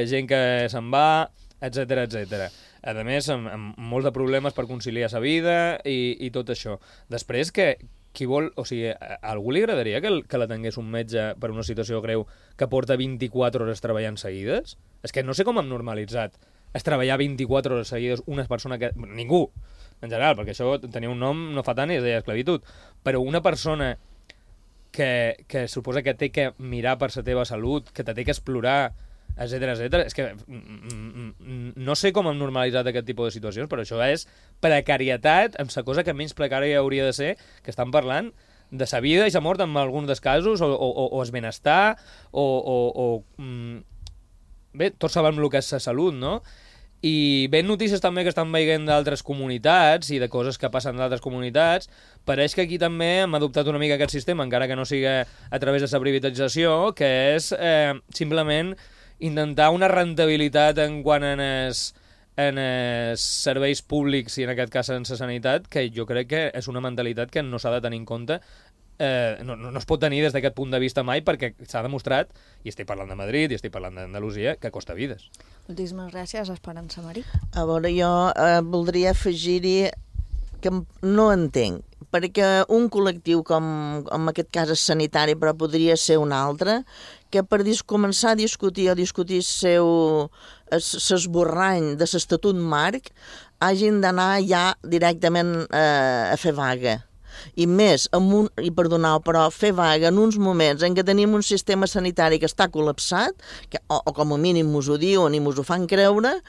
gent que se'n va, etc. A més, amb molts de problemes per conciliar sa vida i tot això. Després, qui vol... O sigui, a algú li agradaria que la tingués un metge per una situació greu que porta 24 hores treballant seguides? És que no sé com hem normalitzat es treballar 24 hores seguides una persona que... Ningú, en general, perquè això tenia un nom no fa tant i es deia esclavitud, però una persona que suposa que té que mirar per la teva salut, que te té que explorar, etc. És que no sé com hem normalitzat aquest tipus de situacions, però això és precarietat amb la cosa que menys precària hauria de ser, que estan parlant de sa vida i sa mort en alguns dels casos, o el benestar, bé, tots sabem el que és la salut, no? I ben notícies també que estan veient d'altres comunitats i de coses que passen d'altres comunitats. Pareix que aquí també hem adoptat una mica aquest sistema, encara que no sigui a través de la privatització, que és simplement intentar una rentabilitat en quant en els serveis públics i en aquest cas en la sanitat, que jo crec que és una mentalitat que no s'ha de tenir en compte. No es pot tenir des d'aquest punt de vista mai, perquè s'ha demostrat, i estic parlant de Madrid i estic parlant d'Andalusia, que costa vides. Moltíssimes gràcies, Esperança Marí. A veure, jo voldria afegir-hi que no entenc, perquè un col·lectiu com en aquest cas és sanitari, però podria ser un altre, que per començar a discutir l'esborrany de l'estatut marc hagin d'anar ja directament a fer vaga. I més, però fer vaga en uns moments en què tenim un sistema sanitari que està col·lapsat, o com a mínim mos ho diuen i mos ho fan creure,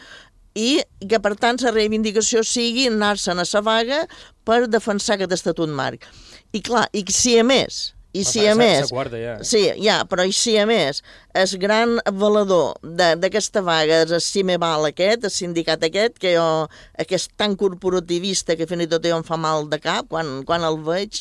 i que per tant la reivindicació sigui anar-se'n a la vaga per defensar aquest estatut marc. I clar, i si a més el gran avalador d'aquesta vaga és el Cimeval aquest, el sindicat aquest, que és tan corporativista que fins i tot em fa mal de cap quan el veig,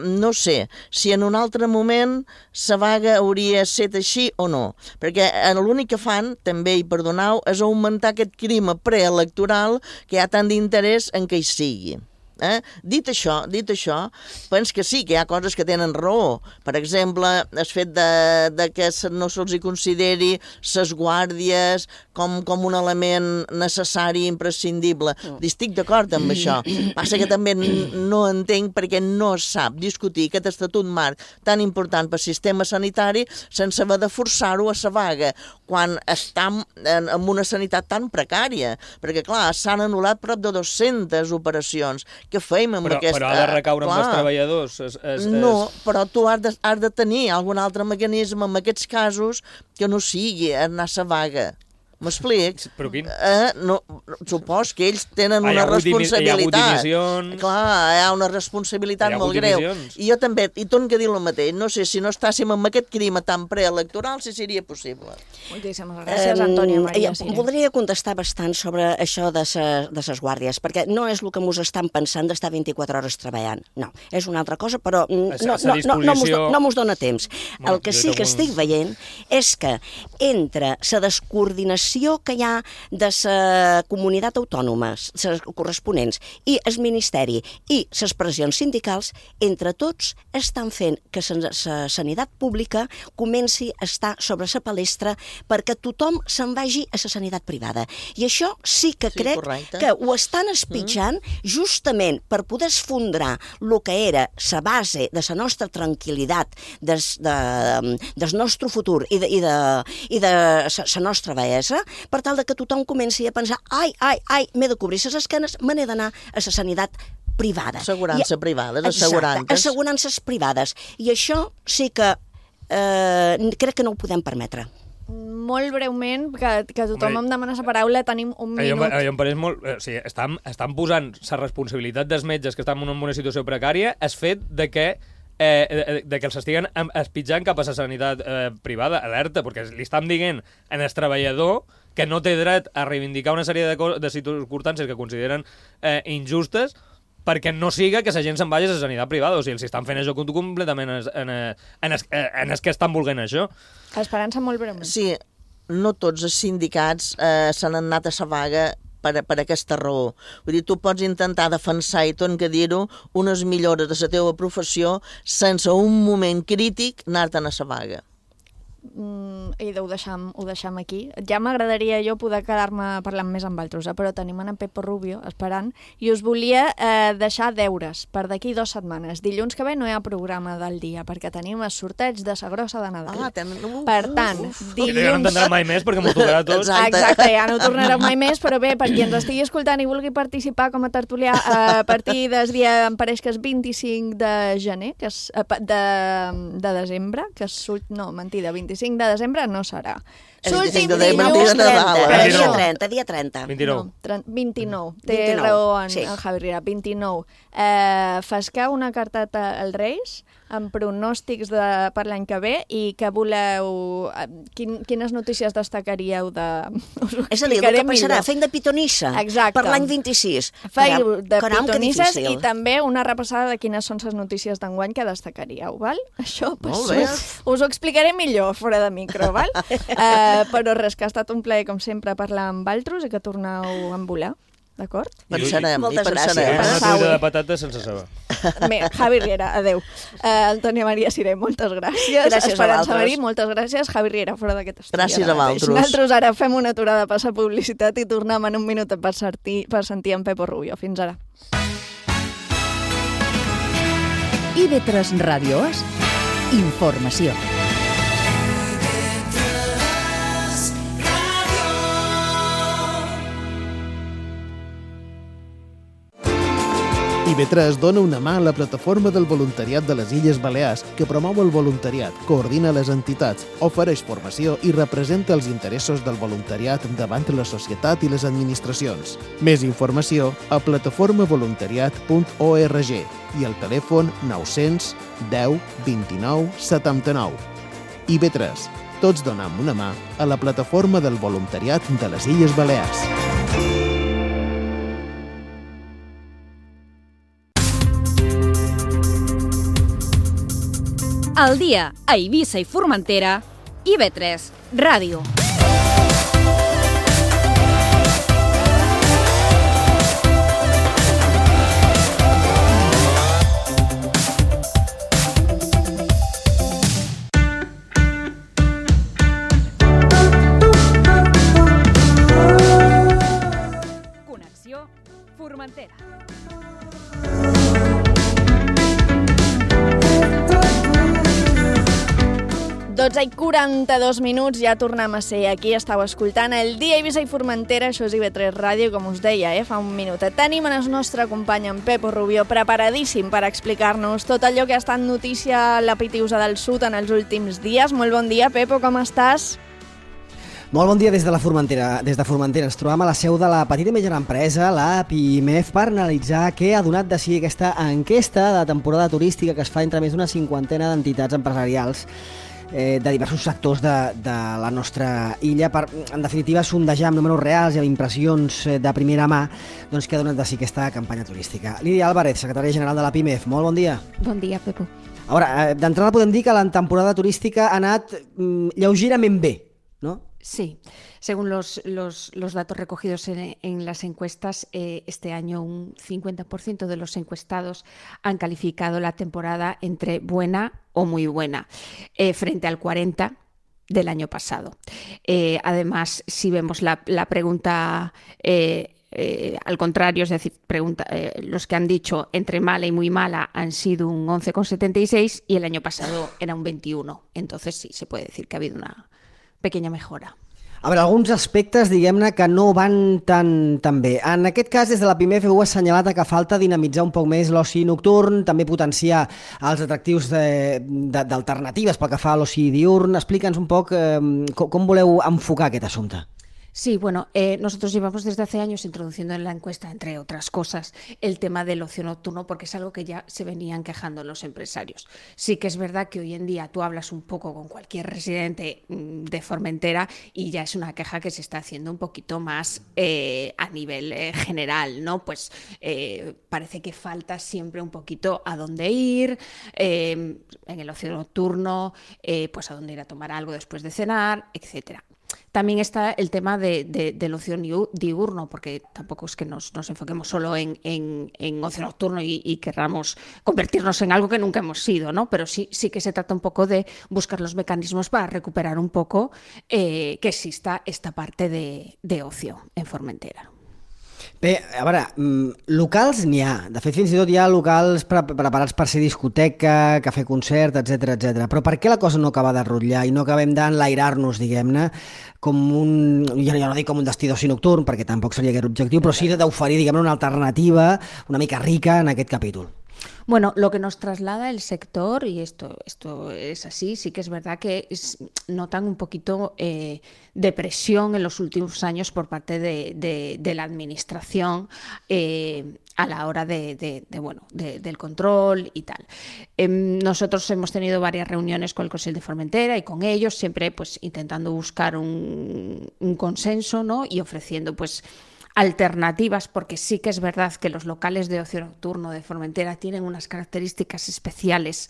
no sé si en un altre moment la vaga hauria estat així o no, perquè l'únic que fan, també, i perdoneu, és augmentar aquest crim preelectoral que hi ha tant d'interès en que hi sigui. Dit això, penso que sí, que hi ha coses que tenen raó. Per exemple, el fet que no se'ls consideri les guàrdies com un element necessari i imprescindible. Estic d'acord amb això. Passa que també no entenc perquè no es sap discutir aquest estatut marc tan important pel sistema sanitari sense haver de forçar-ho a la vaga, quan estem en una sanitat tan precària. Perquè, clar, s'han anul·lat prop de 200 operacions. Què fem amb aquesta... Però ha de recaure amb els treballadors. No, però tu has de tenir algun altre mecanisme en aquests casos que no sigui anar a la vaga. M'explic? Però quin? No, supos que ells tenen una responsabilitat. Hi ha hagut dimissions. Clar, hi ha una responsabilitat molt greu. I jo també, i torno a dir el mateix, no sé si no estàssim amb aquest clima tan preelectoral, si seria possible. Moltíssimes gràcies, Antònia Maria Siré. Voldria contestar bastant sobre això de ses guàrdies, perquè no és el que mos estan pensant d'estar 24 hores treballant. No, és una altra cosa, però no mos dona temps. El que sí que estic veient és que entre la descoordinació que hi ha de la comunitat autònoma, les corresponents, i el Ministeri i les pressions sindicals, entre tots estan fent que la sanitat pública comenci a estar sobre la palestra perquè tothom se'n vagi a la sanitat privada. I això sí que crec que ho estan espitjant justament per poder esfondrar el que era la base de la nostra tranquil·litat, del nostre futur i de la nostra bellesa, per tal que tothom comenci a pensar m'he de cobrir les esquenes, me n'he d'anar a la sanitat privada. Assegurança privada, assegurances privades. I això sí que crec que no ho podem permetre. Molt breument, que tothom em demana la paraula, tenim un minut. Em pareix molt... O sigui, estan posant la responsabilitat dels metges que estan en una situació precària el fet de que els estiguen espitjant cap a la sanitat privada, alerta, perquè li estan dient en el treballador que no té dret a reivindicar una sèrie de circumstàncies que consideren injustes perquè no siga que la gent se'n vagi a la sanitat privada. O sigui, els estan fent això completament en els que estan volent això. Esperança, molt breument. Sí, no tots els sindicats s'han anat a la vaga per aquesta raó. Vull dir, tu pots intentar defensar, i tot que dir-ho, unes millores de la teva professió sense un moment crític anar-te'n a la vaga. I ho deixam aquí. Ja m'agradaria jo poder quedar-me parlant més amb altres, però tenim en Pepo Rubio esperant i us volia deixar deures per d'aquí 2 setmanes. Dilluns que ve no hi ha programa del dia perquè tenim el sorteig de la grossa de Nadal. Per tant, dilluns... Ja no entendrà mai més perquè m'ho tocarà tot. Exacte, ja no tornarà mai més, però bé, per qui ens estigui escoltant i vulgui participar com a tertulià a partir del dia, em pareix que és 25 de gener, que és de desembre, que és... No, mentida, 25 de desembre no serà. L'últim dilluns dia 30. 29. Té raó en Javi Riera, 29. Fesqueu una carteta als Reis amb pronòstics per l'any que ve i que voleu... Quines notícies destacaríeu de... És a dir, el que passarà, fent de pitonissa per l'any 26. Feu de pitonisses i també una repassada de quines són les notícies d'enguany que destacaríeu, val? Això us ho explicaré millor fora de micro, val? Però res, que ha estat un plaer, com sempre, parlar amb altres i que torneu a volar. D'acord? Pensarem. Moltes gràcies. Una truita de patates sense saber. Javi Riera, adeu. Antònia Maria Siré, moltes gràcies. Esperança Marí, moltes gràcies. Javi Riera, fora d'aquest estudi. Gràcies a vosaltres. Nosaltres ara fem una aturada per la publicitat i tornem en un minut per sentir en Pepo Rubio. Fins ara. IB3 Ràdio és informació. IB3 dona una mà a la plataforma del voluntariat de les Illes Balears, que promou el voluntariat, coordina les entitats, ofereix formació i representa els interessos del voluntariat davant la societat i les administracions. Més informació a plataformavoluntariat.org i al telèfon 900 10 29 79. IB3. Tots donem una mà a la plataforma del voluntariat de les Illes Balears. Al dia a Eivissa i Formentera, IB3 Ràdio. Connexió Formentera. 12:42, ja tornem a ser aquí. Estàu escoltant el Dia Eivissa i Formentera, això és IB3 Ràdio, com us deia, fa un minut. Tenim en el nostre company, en Pepo Rubio, preparadíssim per explicar-nos tot allò que ha estat notícia a la Pitiusa del Sud en els últims dies. Molt bon dia, Pepo, com estàs? Molt bon dia des de la Formentera. Des de Formentera ens trobam a la seu de la petita i mitjana empresa, la PIMEF, per analitzar què ha donat de si aquesta enquesta de temporada turística que es fa entre més d'una cinquantena d'entitats empresarials de diversos sectors de la nostra illa per, en definitiva, sondejar amb números reals i amb impressions de primera mà doncs, què ha donat de si aquesta campanya turística. Lídia Álvarez, secretària general de la PIMEF. Molt bon dia. Bon dia, Pepo. A veure, d'entrada podem dir que la temporada turística ha anat lleugerament bé, ¿no? Sí, según los datos recogidos en las encuestas, este año un 50% de los encuestados han calificado la temporada entre buena o muy buena, frente al 40% del año pasado. Además, si vemos la pregunta al contrario, es decir, los que han dicho entre mala y muy mala han sido un 11,76 y el año pasado era un 21. Entonces sí, se puede decir que ha habido una pequeña mejora. A veure, alguns aspectes, diguem-ne, que no van tan bé. En aquest cas, des de la PIMEF heu assenyalat que falta dinamitzar un poc més l'oci nocturn, també potenciar els atractius d'alternatives pel que fa a l'oci diurn. Explica'ns un poc com voleu enfocar aquest assumpte. Sí, bueno, nosotros llevamos desde hace años introduciendo en la encuesta, entre otras cosas, el tema del ocio nocturno, porque es algo que ya se venían quejando los empresarios. Sí que es verdad que hoy en día tú hablas un poco con cualquier residente de Formentera y ya es una queja que se está haciendo un poquito más a nivel general, ¿no? Pues parece que falta siempre un poquito a dónde ir, en el ocio nocturno, pues a dónde ir a tomar algo después de cenar, etcétera. También está el tema del ocio diurno, porque tampoco es que nos enfoquemos solo en ocio nocturno y querramos convertirnos en algo que nunca hemos sido, ¿no? Pero sí que se trata un poco de buscar los mecanismos para recuperar un poco que exista esta parte de ocio en Formentera. Bé, a veure, locals n'hi ha. De fet, fins i tot hi ha locals preparats per ser discoteca, cafè concert, etc etc. Però per què la cosa no acaba de rotllar i no acabem d'enlairar-nos, diguem-ne, com jo no dic com un destí d'oci nocturn, perquè tampoc seria aquest l'objectiu, però sí d'oferir, diguem-ne, una alternativa una mica rica en aquest capítol? Bueno, lo que nos traslada el sector, y esto es así, sí que es verdad que notan un poquito de presión en los últimos años por parte de la administración a la hora del control y tal. Nosotros hemos tenido varias reuniones con el Consell de Formentera y con ellos, siempre pues intentando buscar un consenso, ¿no? Y ofreciendo pues alternativas, porque sí que es verdad que los locales de ocio nocturno de Formentera tienen unas características especiales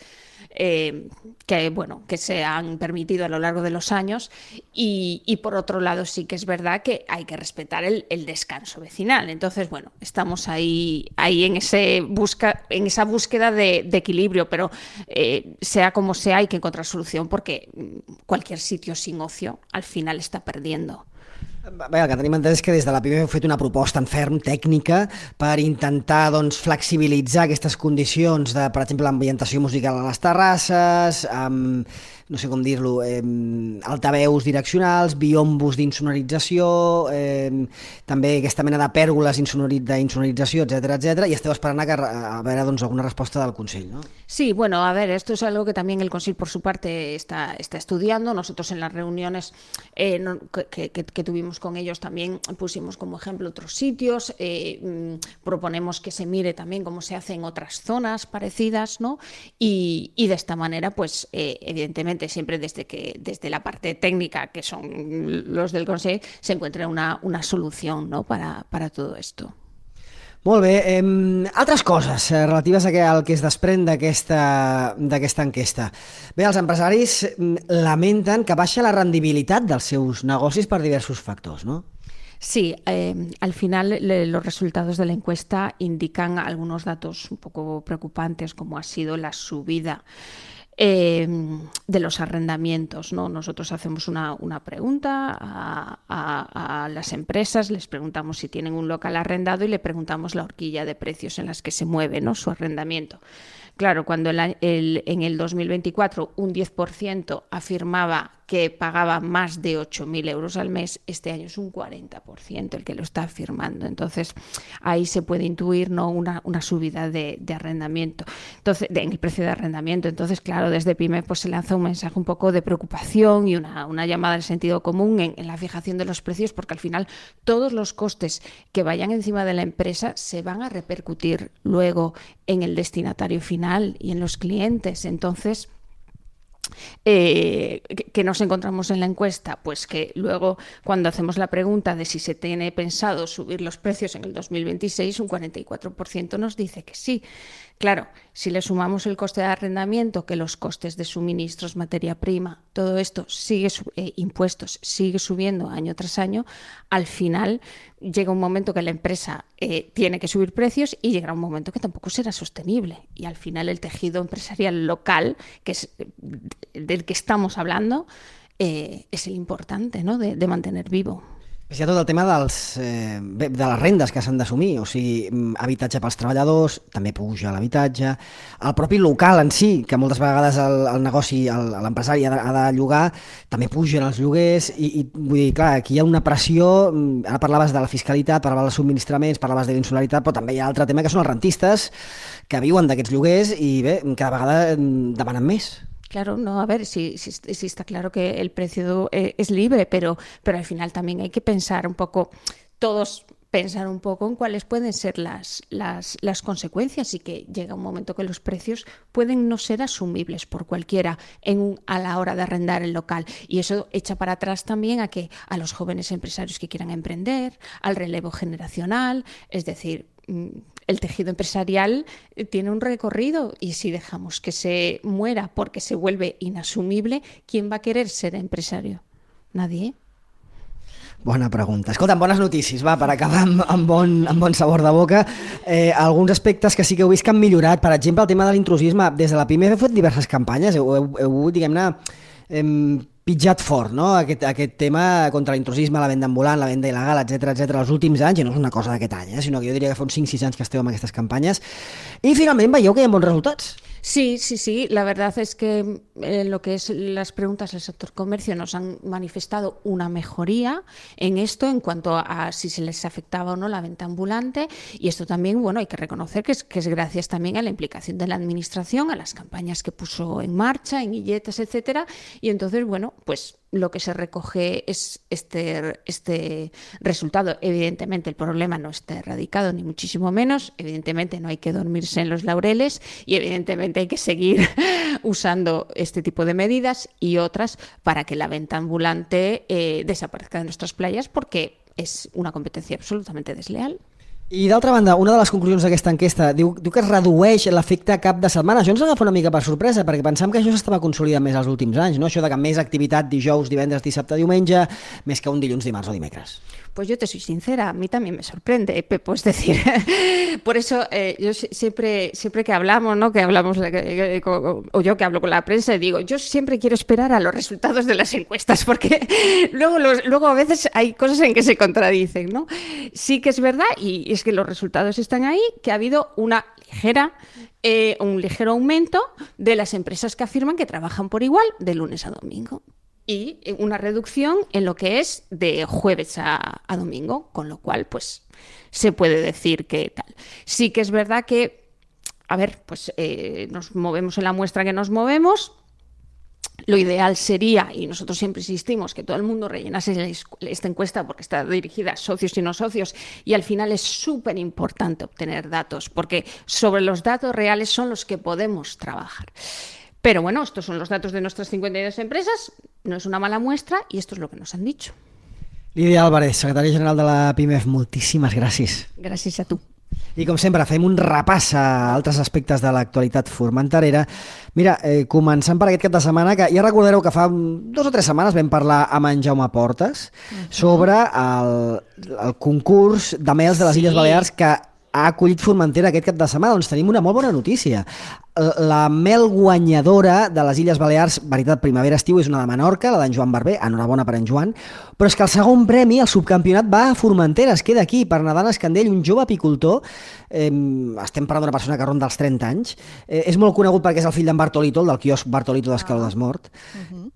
que se han permitido a lo largo de los años y por otro lado sí que es verdad que hay que respetar el descanso vecinal. Entonces, bueno, estamos ahí en esa búsqueda de equilibrio, pero sea como sea hay que encontrar solución porque cualquier sitio sin ocio al final está perdiendo. Bé, el que tenim entès és que des de la PIMEF heu fet una proposta en ferm tècnica per intentar flexibilitzar aquestes condicions de, per exemple, l'ambientació musical a les terrasses, amb, no sé com dir-lo, altaveus direccionals, biombos d'insonorització, també aquesta mena de pèrgoles d'insonorització, etc. I esteu esperant a veure alguna resposta del Consell, ¿no? Sí, bueno, a ver, esto es algo que también el Consell por su parte está estudiando. Nosotros en las reuniones que tuvimos con ellos también pusimos como ejemplo otros sitios, proponemos que se mire también cómo se hace en otras zonas parecidas, ¿no? Y de esta manera, pues evidentemente siempre desde la parte técnica, que son los del Consell, se encuentra una solución, ¿no? para todo esto. Molt bé, altres coses relatives al que es desprèn d'aquesta enquesta. Bé, els empresaris lamenten que baixa la rendibilitat dels seus negocis per diversos factors, no? Sí, al final los resultados de la encuesta indican algunos datos un poco preocupantes, como ha sido la subida de los arrendamientos, ¿no? Nosotros hacemos una pregunta a las empresas, les preguntamos si tienen un local arrendado y le preguntamos la horquilla de precios en las que se mueve, ¿no? Su arrendamiento. Claro, cuando en el 2024 un 10% afirmaba que pagaba más de 8.000 euros al mes, este año es un 40% el que lo está firmando. Entonces, ahí se puede intuir, ¿no?, una subida de arrendamiento, entonces, en el precio de arrendamiento. Entonces, claro, desde PYME pues, se lanza un mensaje un poco de preocupación y una llamada del sentido común en la fijación de los precios, porque al final todos los costes que vayan encima de la empresa se van a repercutir luego en el destinatario final y en los clientes. Entonces, ¿qué nos encontramos en la encuesta? Pues que luego, cuando hacemos la pregunta de si se tiene pensado subir los precios en el 2026, un 44% nos dice que sí. Claro, si le sumamos el coste de arrendamiento, que los costes de suministros, materia prima, todo esto sigue impuestos, sigue subiendo año tras año, al final llega un momento que la empresa tiene que subir precios y llegará un momento que tampoco será sostenible. Y al final el tejido empresarial local, que es del que estamos hablando, és l'important, no?, de mantenir vivo. Hi ha tot el tema de les rendes que s'han d'assumir, o sigui, habitatge pels treballadors, també puja l'habitatge, el propi local en si, que moltes vegades el negoci, l'empresari ha de llogar, també pugen els lloguers, i vull dir, clar, aquí hi ha una pressió, ara parlaves de la fiscalitat, parlaves dels subministraments, parlaves de l'insularitat, però també hi ha altre tema que són els rentistes que viuen d'aquests lloguers i bé, cada vegada demanen més. Claro, no, a ver, sí está claro que el precio es libre, pero al final también hay que pensar un poco, todos pensar un poco en cuáles pueden ser las consecuencias, y que llega un momento que los precios pueden no ser asumibles por cualquiera a la hora de arrendar el local. Y eso echa para atrás también a los jóvenes empresarios que quieran emprender, al relevo generacional, es decir, el tejido empresarial tiene un recorrido, y si dejamos que se muera porque se vuelve inasumible, ¿quién va a querer ser empresario? Nadie. Bona pregunta. Escolta'm, bones notícies, va, per acabar amb bon sabor de boca. Alguns aspectes que sí que heu vist que han millorat, per exemple, el tema de l'intrusisme. Des de la PYME heu fet diverses campanyes, heu diguem-ne, pitjat fort, no?, aquest tema contra l'intrusisme, la venda ambulant, la venda il·legal, etc els últims anys, i no és una cosa d'aquest any, sinó que jo diria que fa uns 5-6 anys que esteu amb aquestes campanyes, i finalment veieu que hi ha bons resultats. Sí, la verdad es que lo que es las preguntas del sector comercio nos han manifestado una mejoría en esto en cuanto a si se les afectaba o no la venta ambulante, y esto también, bueno, hay que reconocer que es gracias también a la implicación de la administración, a las campañas que puso en marcha, en guilletes, etcétera, y entonces, bueno, pues lo que se recoge es este resultado. Evidentemente el problema no está erradicado, ni muchísimo menos, evidentemente no hay que dormirse en los laureles, y evidentemente hay que seguir usando este tipo de medidas y otras para que la venta ambulante desaparezca de nuestras playas, porque es una competencia absolutamente desleal. I d'altra banda, una de les conclusions d'aquesta enquesta diu que es redueix l'efecte cap de setmana. Això ens agafa una mica per sorpresa, perquè pensàvem que això s'estava consolidant més els últims anys, no? Això de que més activitat dijous, divendres, dissabte, diumenge, més que un dilluns, dimarts o dimecres. Pues yo te soy sincera, a mí también me sorprende, Pepo, es decir, por eso yo siempre que hablamos, ¿no?, que hablamos, o yo que hablo con la prensa, digo, yo siempre quiero esperar a los resultados de las encuestas, porque luego a veces hay cosas en que se contradicen, ¿no? Sí que es verdad, y es que los resultados están ahí, que ha habido un ligero aumento de las empresas que afirman que trabajan por igual de lunes a domingo, y una reducción en lo que es de jueves a domingo, con lo cual pues se puede decir que tal. Sí que es verdad que, a ver, pues nos movemos en la muestra que nos movemos. Lo ideal sería, y nosotros siempre insistimos, que todo el mundo rellenase esta encuesta, porque está dirigida a socios y no socios, y al final es súper importante obtener datos, porque sobre los datos reales son los que podemos trabajar. Pero bueno, estos son los datos de nuestras 52 empresas, no es una mala muestra, y esto es lo que nos han dicho. Lídia Álvarez, secretària general de la PYME, moltíssimes gràcies. Gràcies a tu. I com sempre, fem un repàs a altres aspectes de l'actualitat formenterera. Mira, començant per aquest cap de setmana, que ja recordareu que fa 2 o 3 setmanes vam parlar amb en Jaume Portes sobre el concurs de mels de les Illes Balears que ha acollit Formentera aquest cap de setmana. Doncs tenim una molt bona notícia. la mel guanyadora de les Illes Balears, veritat, primavera-estiu, és una de Menorca, la d'en Joan Barber, enhorabona per en Joan, però és que el segon premi, el subcampionat, va a Formentera, es queda aquí, per Nadal Escandell, un jove apicultor, estem parlant d'una persona que ronda els 30 anys, és molt conegut perquè és el fill d'en Bartolito, el del quiosc Bartolito d'Escaló d'Esmort,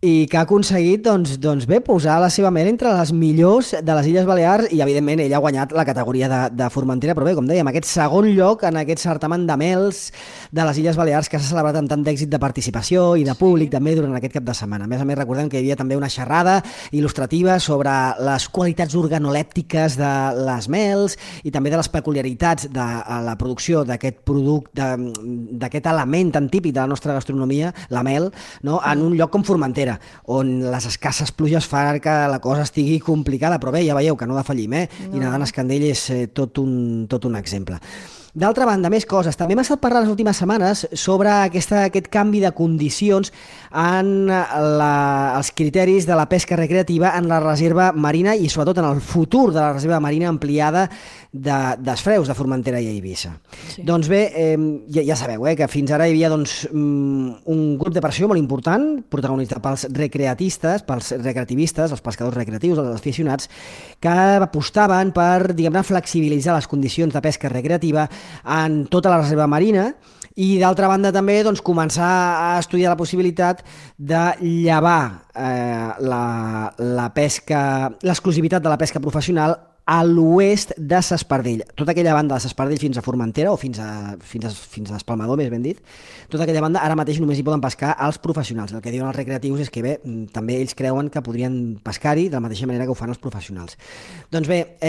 i que ha aconseguit, doncs bé, posar la seva mel entre les millors de les Illes Balears i, evidentment, ell ha guanyat la categoria de Formentera, però bé, com dèiem, aquest segon lloc en aquest certamen de mels de les Illes Balears que s'ha celebrat amb tant d'èxit de participació i de públic també durant aquest cap de setmana. A més, recordem que hi havia també una xerrada il·lustrativa sobre les qualitats organolèptiques de les mels i també de les peculiaritats de la producció d'aquest producte, d'aquest element tan típic de la nostra gastronomia, la mel, no? En un lloc com Formentera, on les escasses pluges fan que la cosa estigui complicada, però bé, ja veieu que no defallim, i Nadal Escandell és tot un exemple. D'altra banda, més coses. També hem estat parlant les últimes setmanes sobre aquest canvi de condicions en els criteris de la pesca recreativa en la reserva marina i sobretot en el futur de la reserva marina ampliada d'Esfreus, de Formentera i Eivissa. Sí. Doncs bé, ja sabeu que fins ara hi havia un grup de pressió molt important, protagonitzat pels recreativistes, els pescadors recreatius, els aficionats, que apostaven per, diguem-ne, flexibilitzar les condicions de pesca recreativa en tota la reserva marina i, d'altra banda, també començar a estudiar la possibilitat de llevar la pesca, l'exclusivitat de la pesca professional a l'oest de S'Espardell. Tota aquella banda de S'Espardell fins a Formentera, o fins a Espalmador, més ben dit, tota aquella banda ara mateix només hi poden pescar els professionals. El que diuen els recreatius és que bé, també ells creuen que podrien pescar-hi de la mateixa manera que ho fan els professionals. Doncs bé,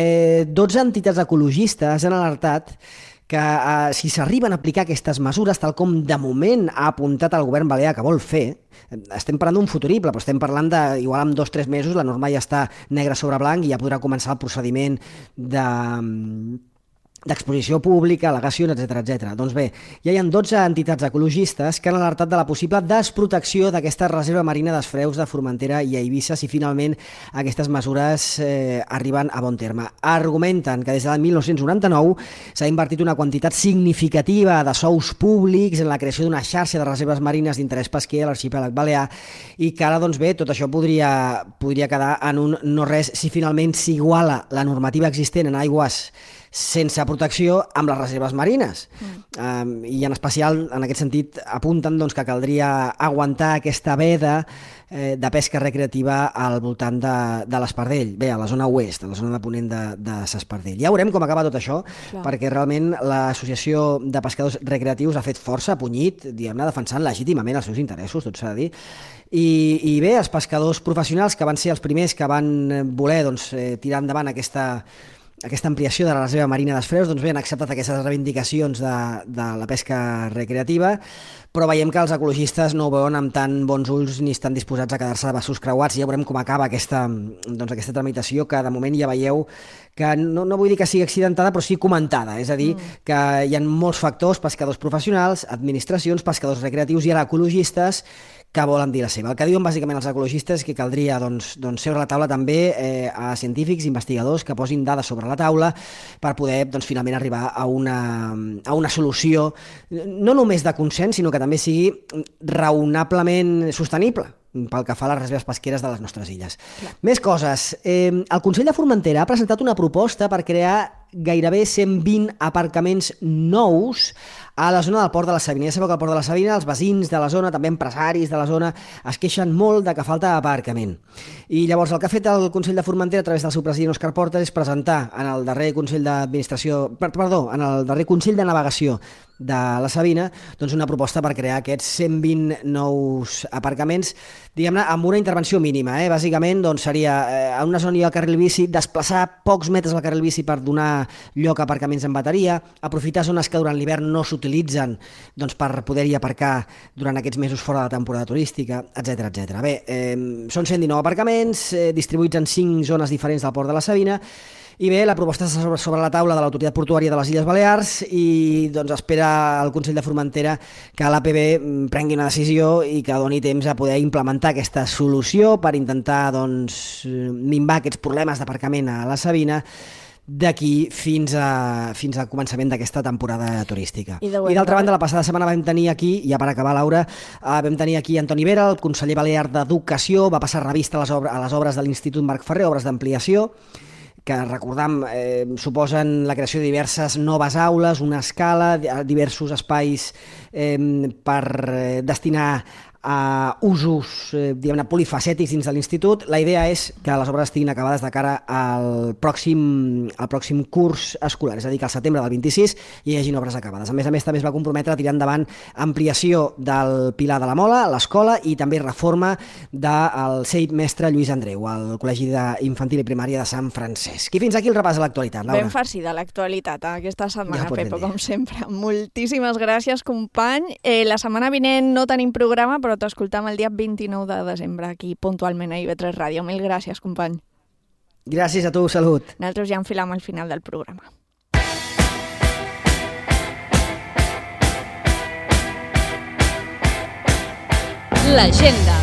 12 entitats ecologistes han alertat que si s'arriben a aplicar aquestes mesures, tal com de moment ha apuntat el govern balear que vol fer, estem parlant d'un futurible, però estem parlant de, igual en 2 o 3 mesos, la norma ja està negre sobre blanc i ja podrà començar el procediment d'exposició pública, al·legacions, etc. Doncs bé, ja hi ha 12 entitats ecologistes que han alertat de la possible desprotecció d'aquesta reserva marina d'Esfreus de Formentera i Eivissa si finalment aquestes mesures arriben a bon terme. Argumenten que des de 1999 s'ha invertit una quantitat significativa de sous públics en la creació d'una xarxa de reserves marines d'interès pesquer a l'arxipèlag balear i que ara, doncs bé, tot això podria quedar en un no res si finalment s'iguala la normativa existent en aigües sense protecció amb les reserves marines. I en especial, en aquest sentit, apunten que caldria aguantar aquesta veda de pesca recreativa al voltant de l'Espardell, bé, a la zona oest, a la zona de ponent de S'Espardell. Ja veurem com acaba tot això, perquè realment l'Associació de Pescadors Recreatius ha fet força, ha punyit, diguem-ne, defensant legítimament els seus interessos, tot s'ha de dir, i bé, els pescadors professionals, que van ser els primers que van voler tirar endavant aquesta ampliació de la reserva marina d'Esfreus, doncs bé, han acceptat aquestes reivindicacions de la pesca recreativa, però veiem que els ecologistes no ho veuen amb tan bons ulls ni estan disposats a quedar-se de braços creuats. Ja veurem com acaba aquesta tramitació, que de moment ja veieu que no vull dir que sigui accidentada, però sí comentada. És a dir, que hi ha molts factors, pescadors professionals, administracions, pescadors recreatius i ara ecologistes, que volen dir la seva. El que diuen bàsicament els ecologistes és que caldria seure a la taula també a científics, investigadors que posin dades sobre la taula per poder finalment arribar a una solució no només de consens, sinó que també sigui raonablement sostenible pel que fa a les reserves pesqueres de les nostres illes. Més coses. El Consell de Formentera ha presentat una proposta per crear gairebé 120 aparcaments nous a la zona del Port de la Sabina. Ja sabeu que al Port de la Sabina els veïns de la zona, també empresaris de la zona, es queixen molt de que falta aparcament. I llavors el que ha fet el Consell de Formentera a través del seu president Òscar Portes és presentar en el darrer Consell en el darrer Consell de Navegació de la Sabina una proposta per crear aquests 120 nous aparcaments, diguem-ne, amb una intervenció mínima. Bàsicament seria a una zona hi ha el carril bici, desplaçar pocs metres al carril bici per donar lloc a aparcaments en bateria, aprofitar zones que durant l'hivern no s'utilitzen per poder-hi aparcar durant aquests mesos fora de la temporada turística, etc. Bé, són 119 aparcaments distribuïts en 5 zones diferents del Port de la Sabina. I bé, la proposta està sobre la taula de l'Autoritat Portuària de les Illes Balears i espera el Consell de Formentera que l'APB prengui una decisió i que doni temps a poder implementar aquesta solució per intentar minvar aquests problemes d'aparcament a la Sabina, d'aquí fins al començament d'aquesta temporada turística. I d'altra banda, la passada setmana vam tenir aquí, ja per acabar, Laura, vam tenir aquí Antoni Vera, el conseller balear d'Educació, va passar revista a les obres de l'Institut Marc Ferrer, obres d'ampliació, que recordam suposen la creació de diverses noves aules, una escala, diversos espais per destinar a usos diguem-ne polifacètics dins de l'institut. La idea és que les obres estiguin acabades de cara al pròxim curs escolar, és a dir, que al setembre del 26 hi hagin obres acabades. A més, també es va comprometre a tirar endavant ampliació del Pilar de la Mola, l'escola, i també reforma del CEIP Mestre Lluís Andreu, al Col·legi d'Infantil i Primària de Sant Francesc. I fins aquí el repàs de l'actualitat, Laura. Ben farcida l'actualitat aquesta setmana, Pepo, com sempre. Moltíssimes gràcies, company. La setmana vinent no tenim programa, però t'escoltam el dia 29 de desembre aquí puntualment a IB3 Ràdio. Mil gràcies, company. Gràcies a tu, salut. Nosaltres ja enfilam al final del programa. L'agenda.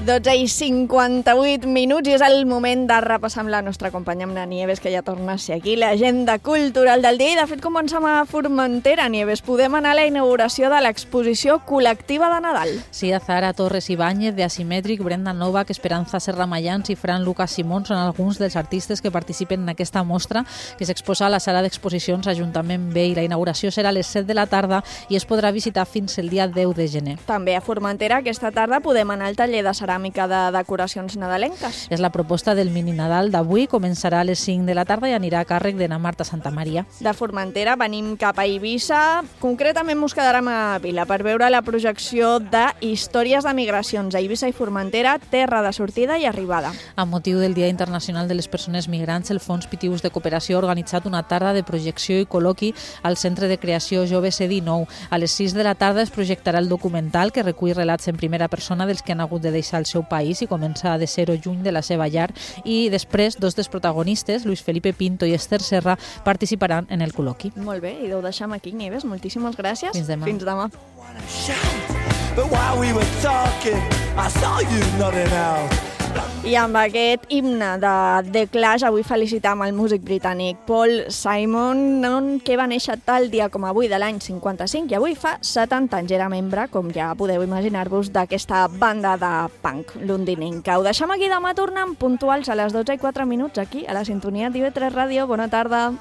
12:58 i és el moment de repassar amb la nostra companya, amb la Nieves, que ja torna a ser aquí, l'agenda cultural del dia. I de fet comencem a Formentera, Nieves. Podem anar a la inauguració de l'exposició col·lectiva de Nadal. Sí, Zara Torres Ibáñez, de Asimètric, Brenda Novak, Esperanza Serramayans i Fran Lucas Simón són alguns dels artistes que participen en aquesta mostra que s'exposa a la sala d'exposicions Ajuntament B, i la inauguració serà a les 7 de la tarda i es podrà visitar fins el dia 10 de gener. També a Formentera aquesta tarda podem anar al taller de ceràmica de decoracions nadalenques. És la proposta del mini Nadal d'avui, començarà a les 5 de la tarda i anirà a càrrec de na Marta Santamaria. De Formentera venim cap a Eivissa, concretament ens quedarem a Vila per veure la projecció de Històries de migracions a Eivissa i Formentera, terra de sortida i arribada. A motiu del Dia Internacional de les Persones Migrants, el Fons Pitius de Cooperació ha organitzat una tarda de projecció i col·loqui al Centre de Creació Jove C19. A les 6 de la tarda es projectarà el documental que recull relats en primera persona dels que han hagut de deixar el seu país i començar de ser-ho lluny de la seva llar, i després dos dels protagonistes, Luis Felipe Pinto i Esther Serra, participaran en el col·loqui. Molt bé, i ho deixem aquí, Nieves. Moltíssimes gràcies. Fins demà. Fins demà. I amb aquest himne de The Clash avui felicitam el músic britànic Paul Simon, que va néixer tal dia com avui de l'any 55 i avui fa 70 anys. Era membre, com ja podeu imaginar-vos, d'aquesta banda de punk londinenca. Ho deixem aquí, demà tornem puntuals a les 12:04 aquí a la sintonia d'IB3 Ràdio. Bona tarda.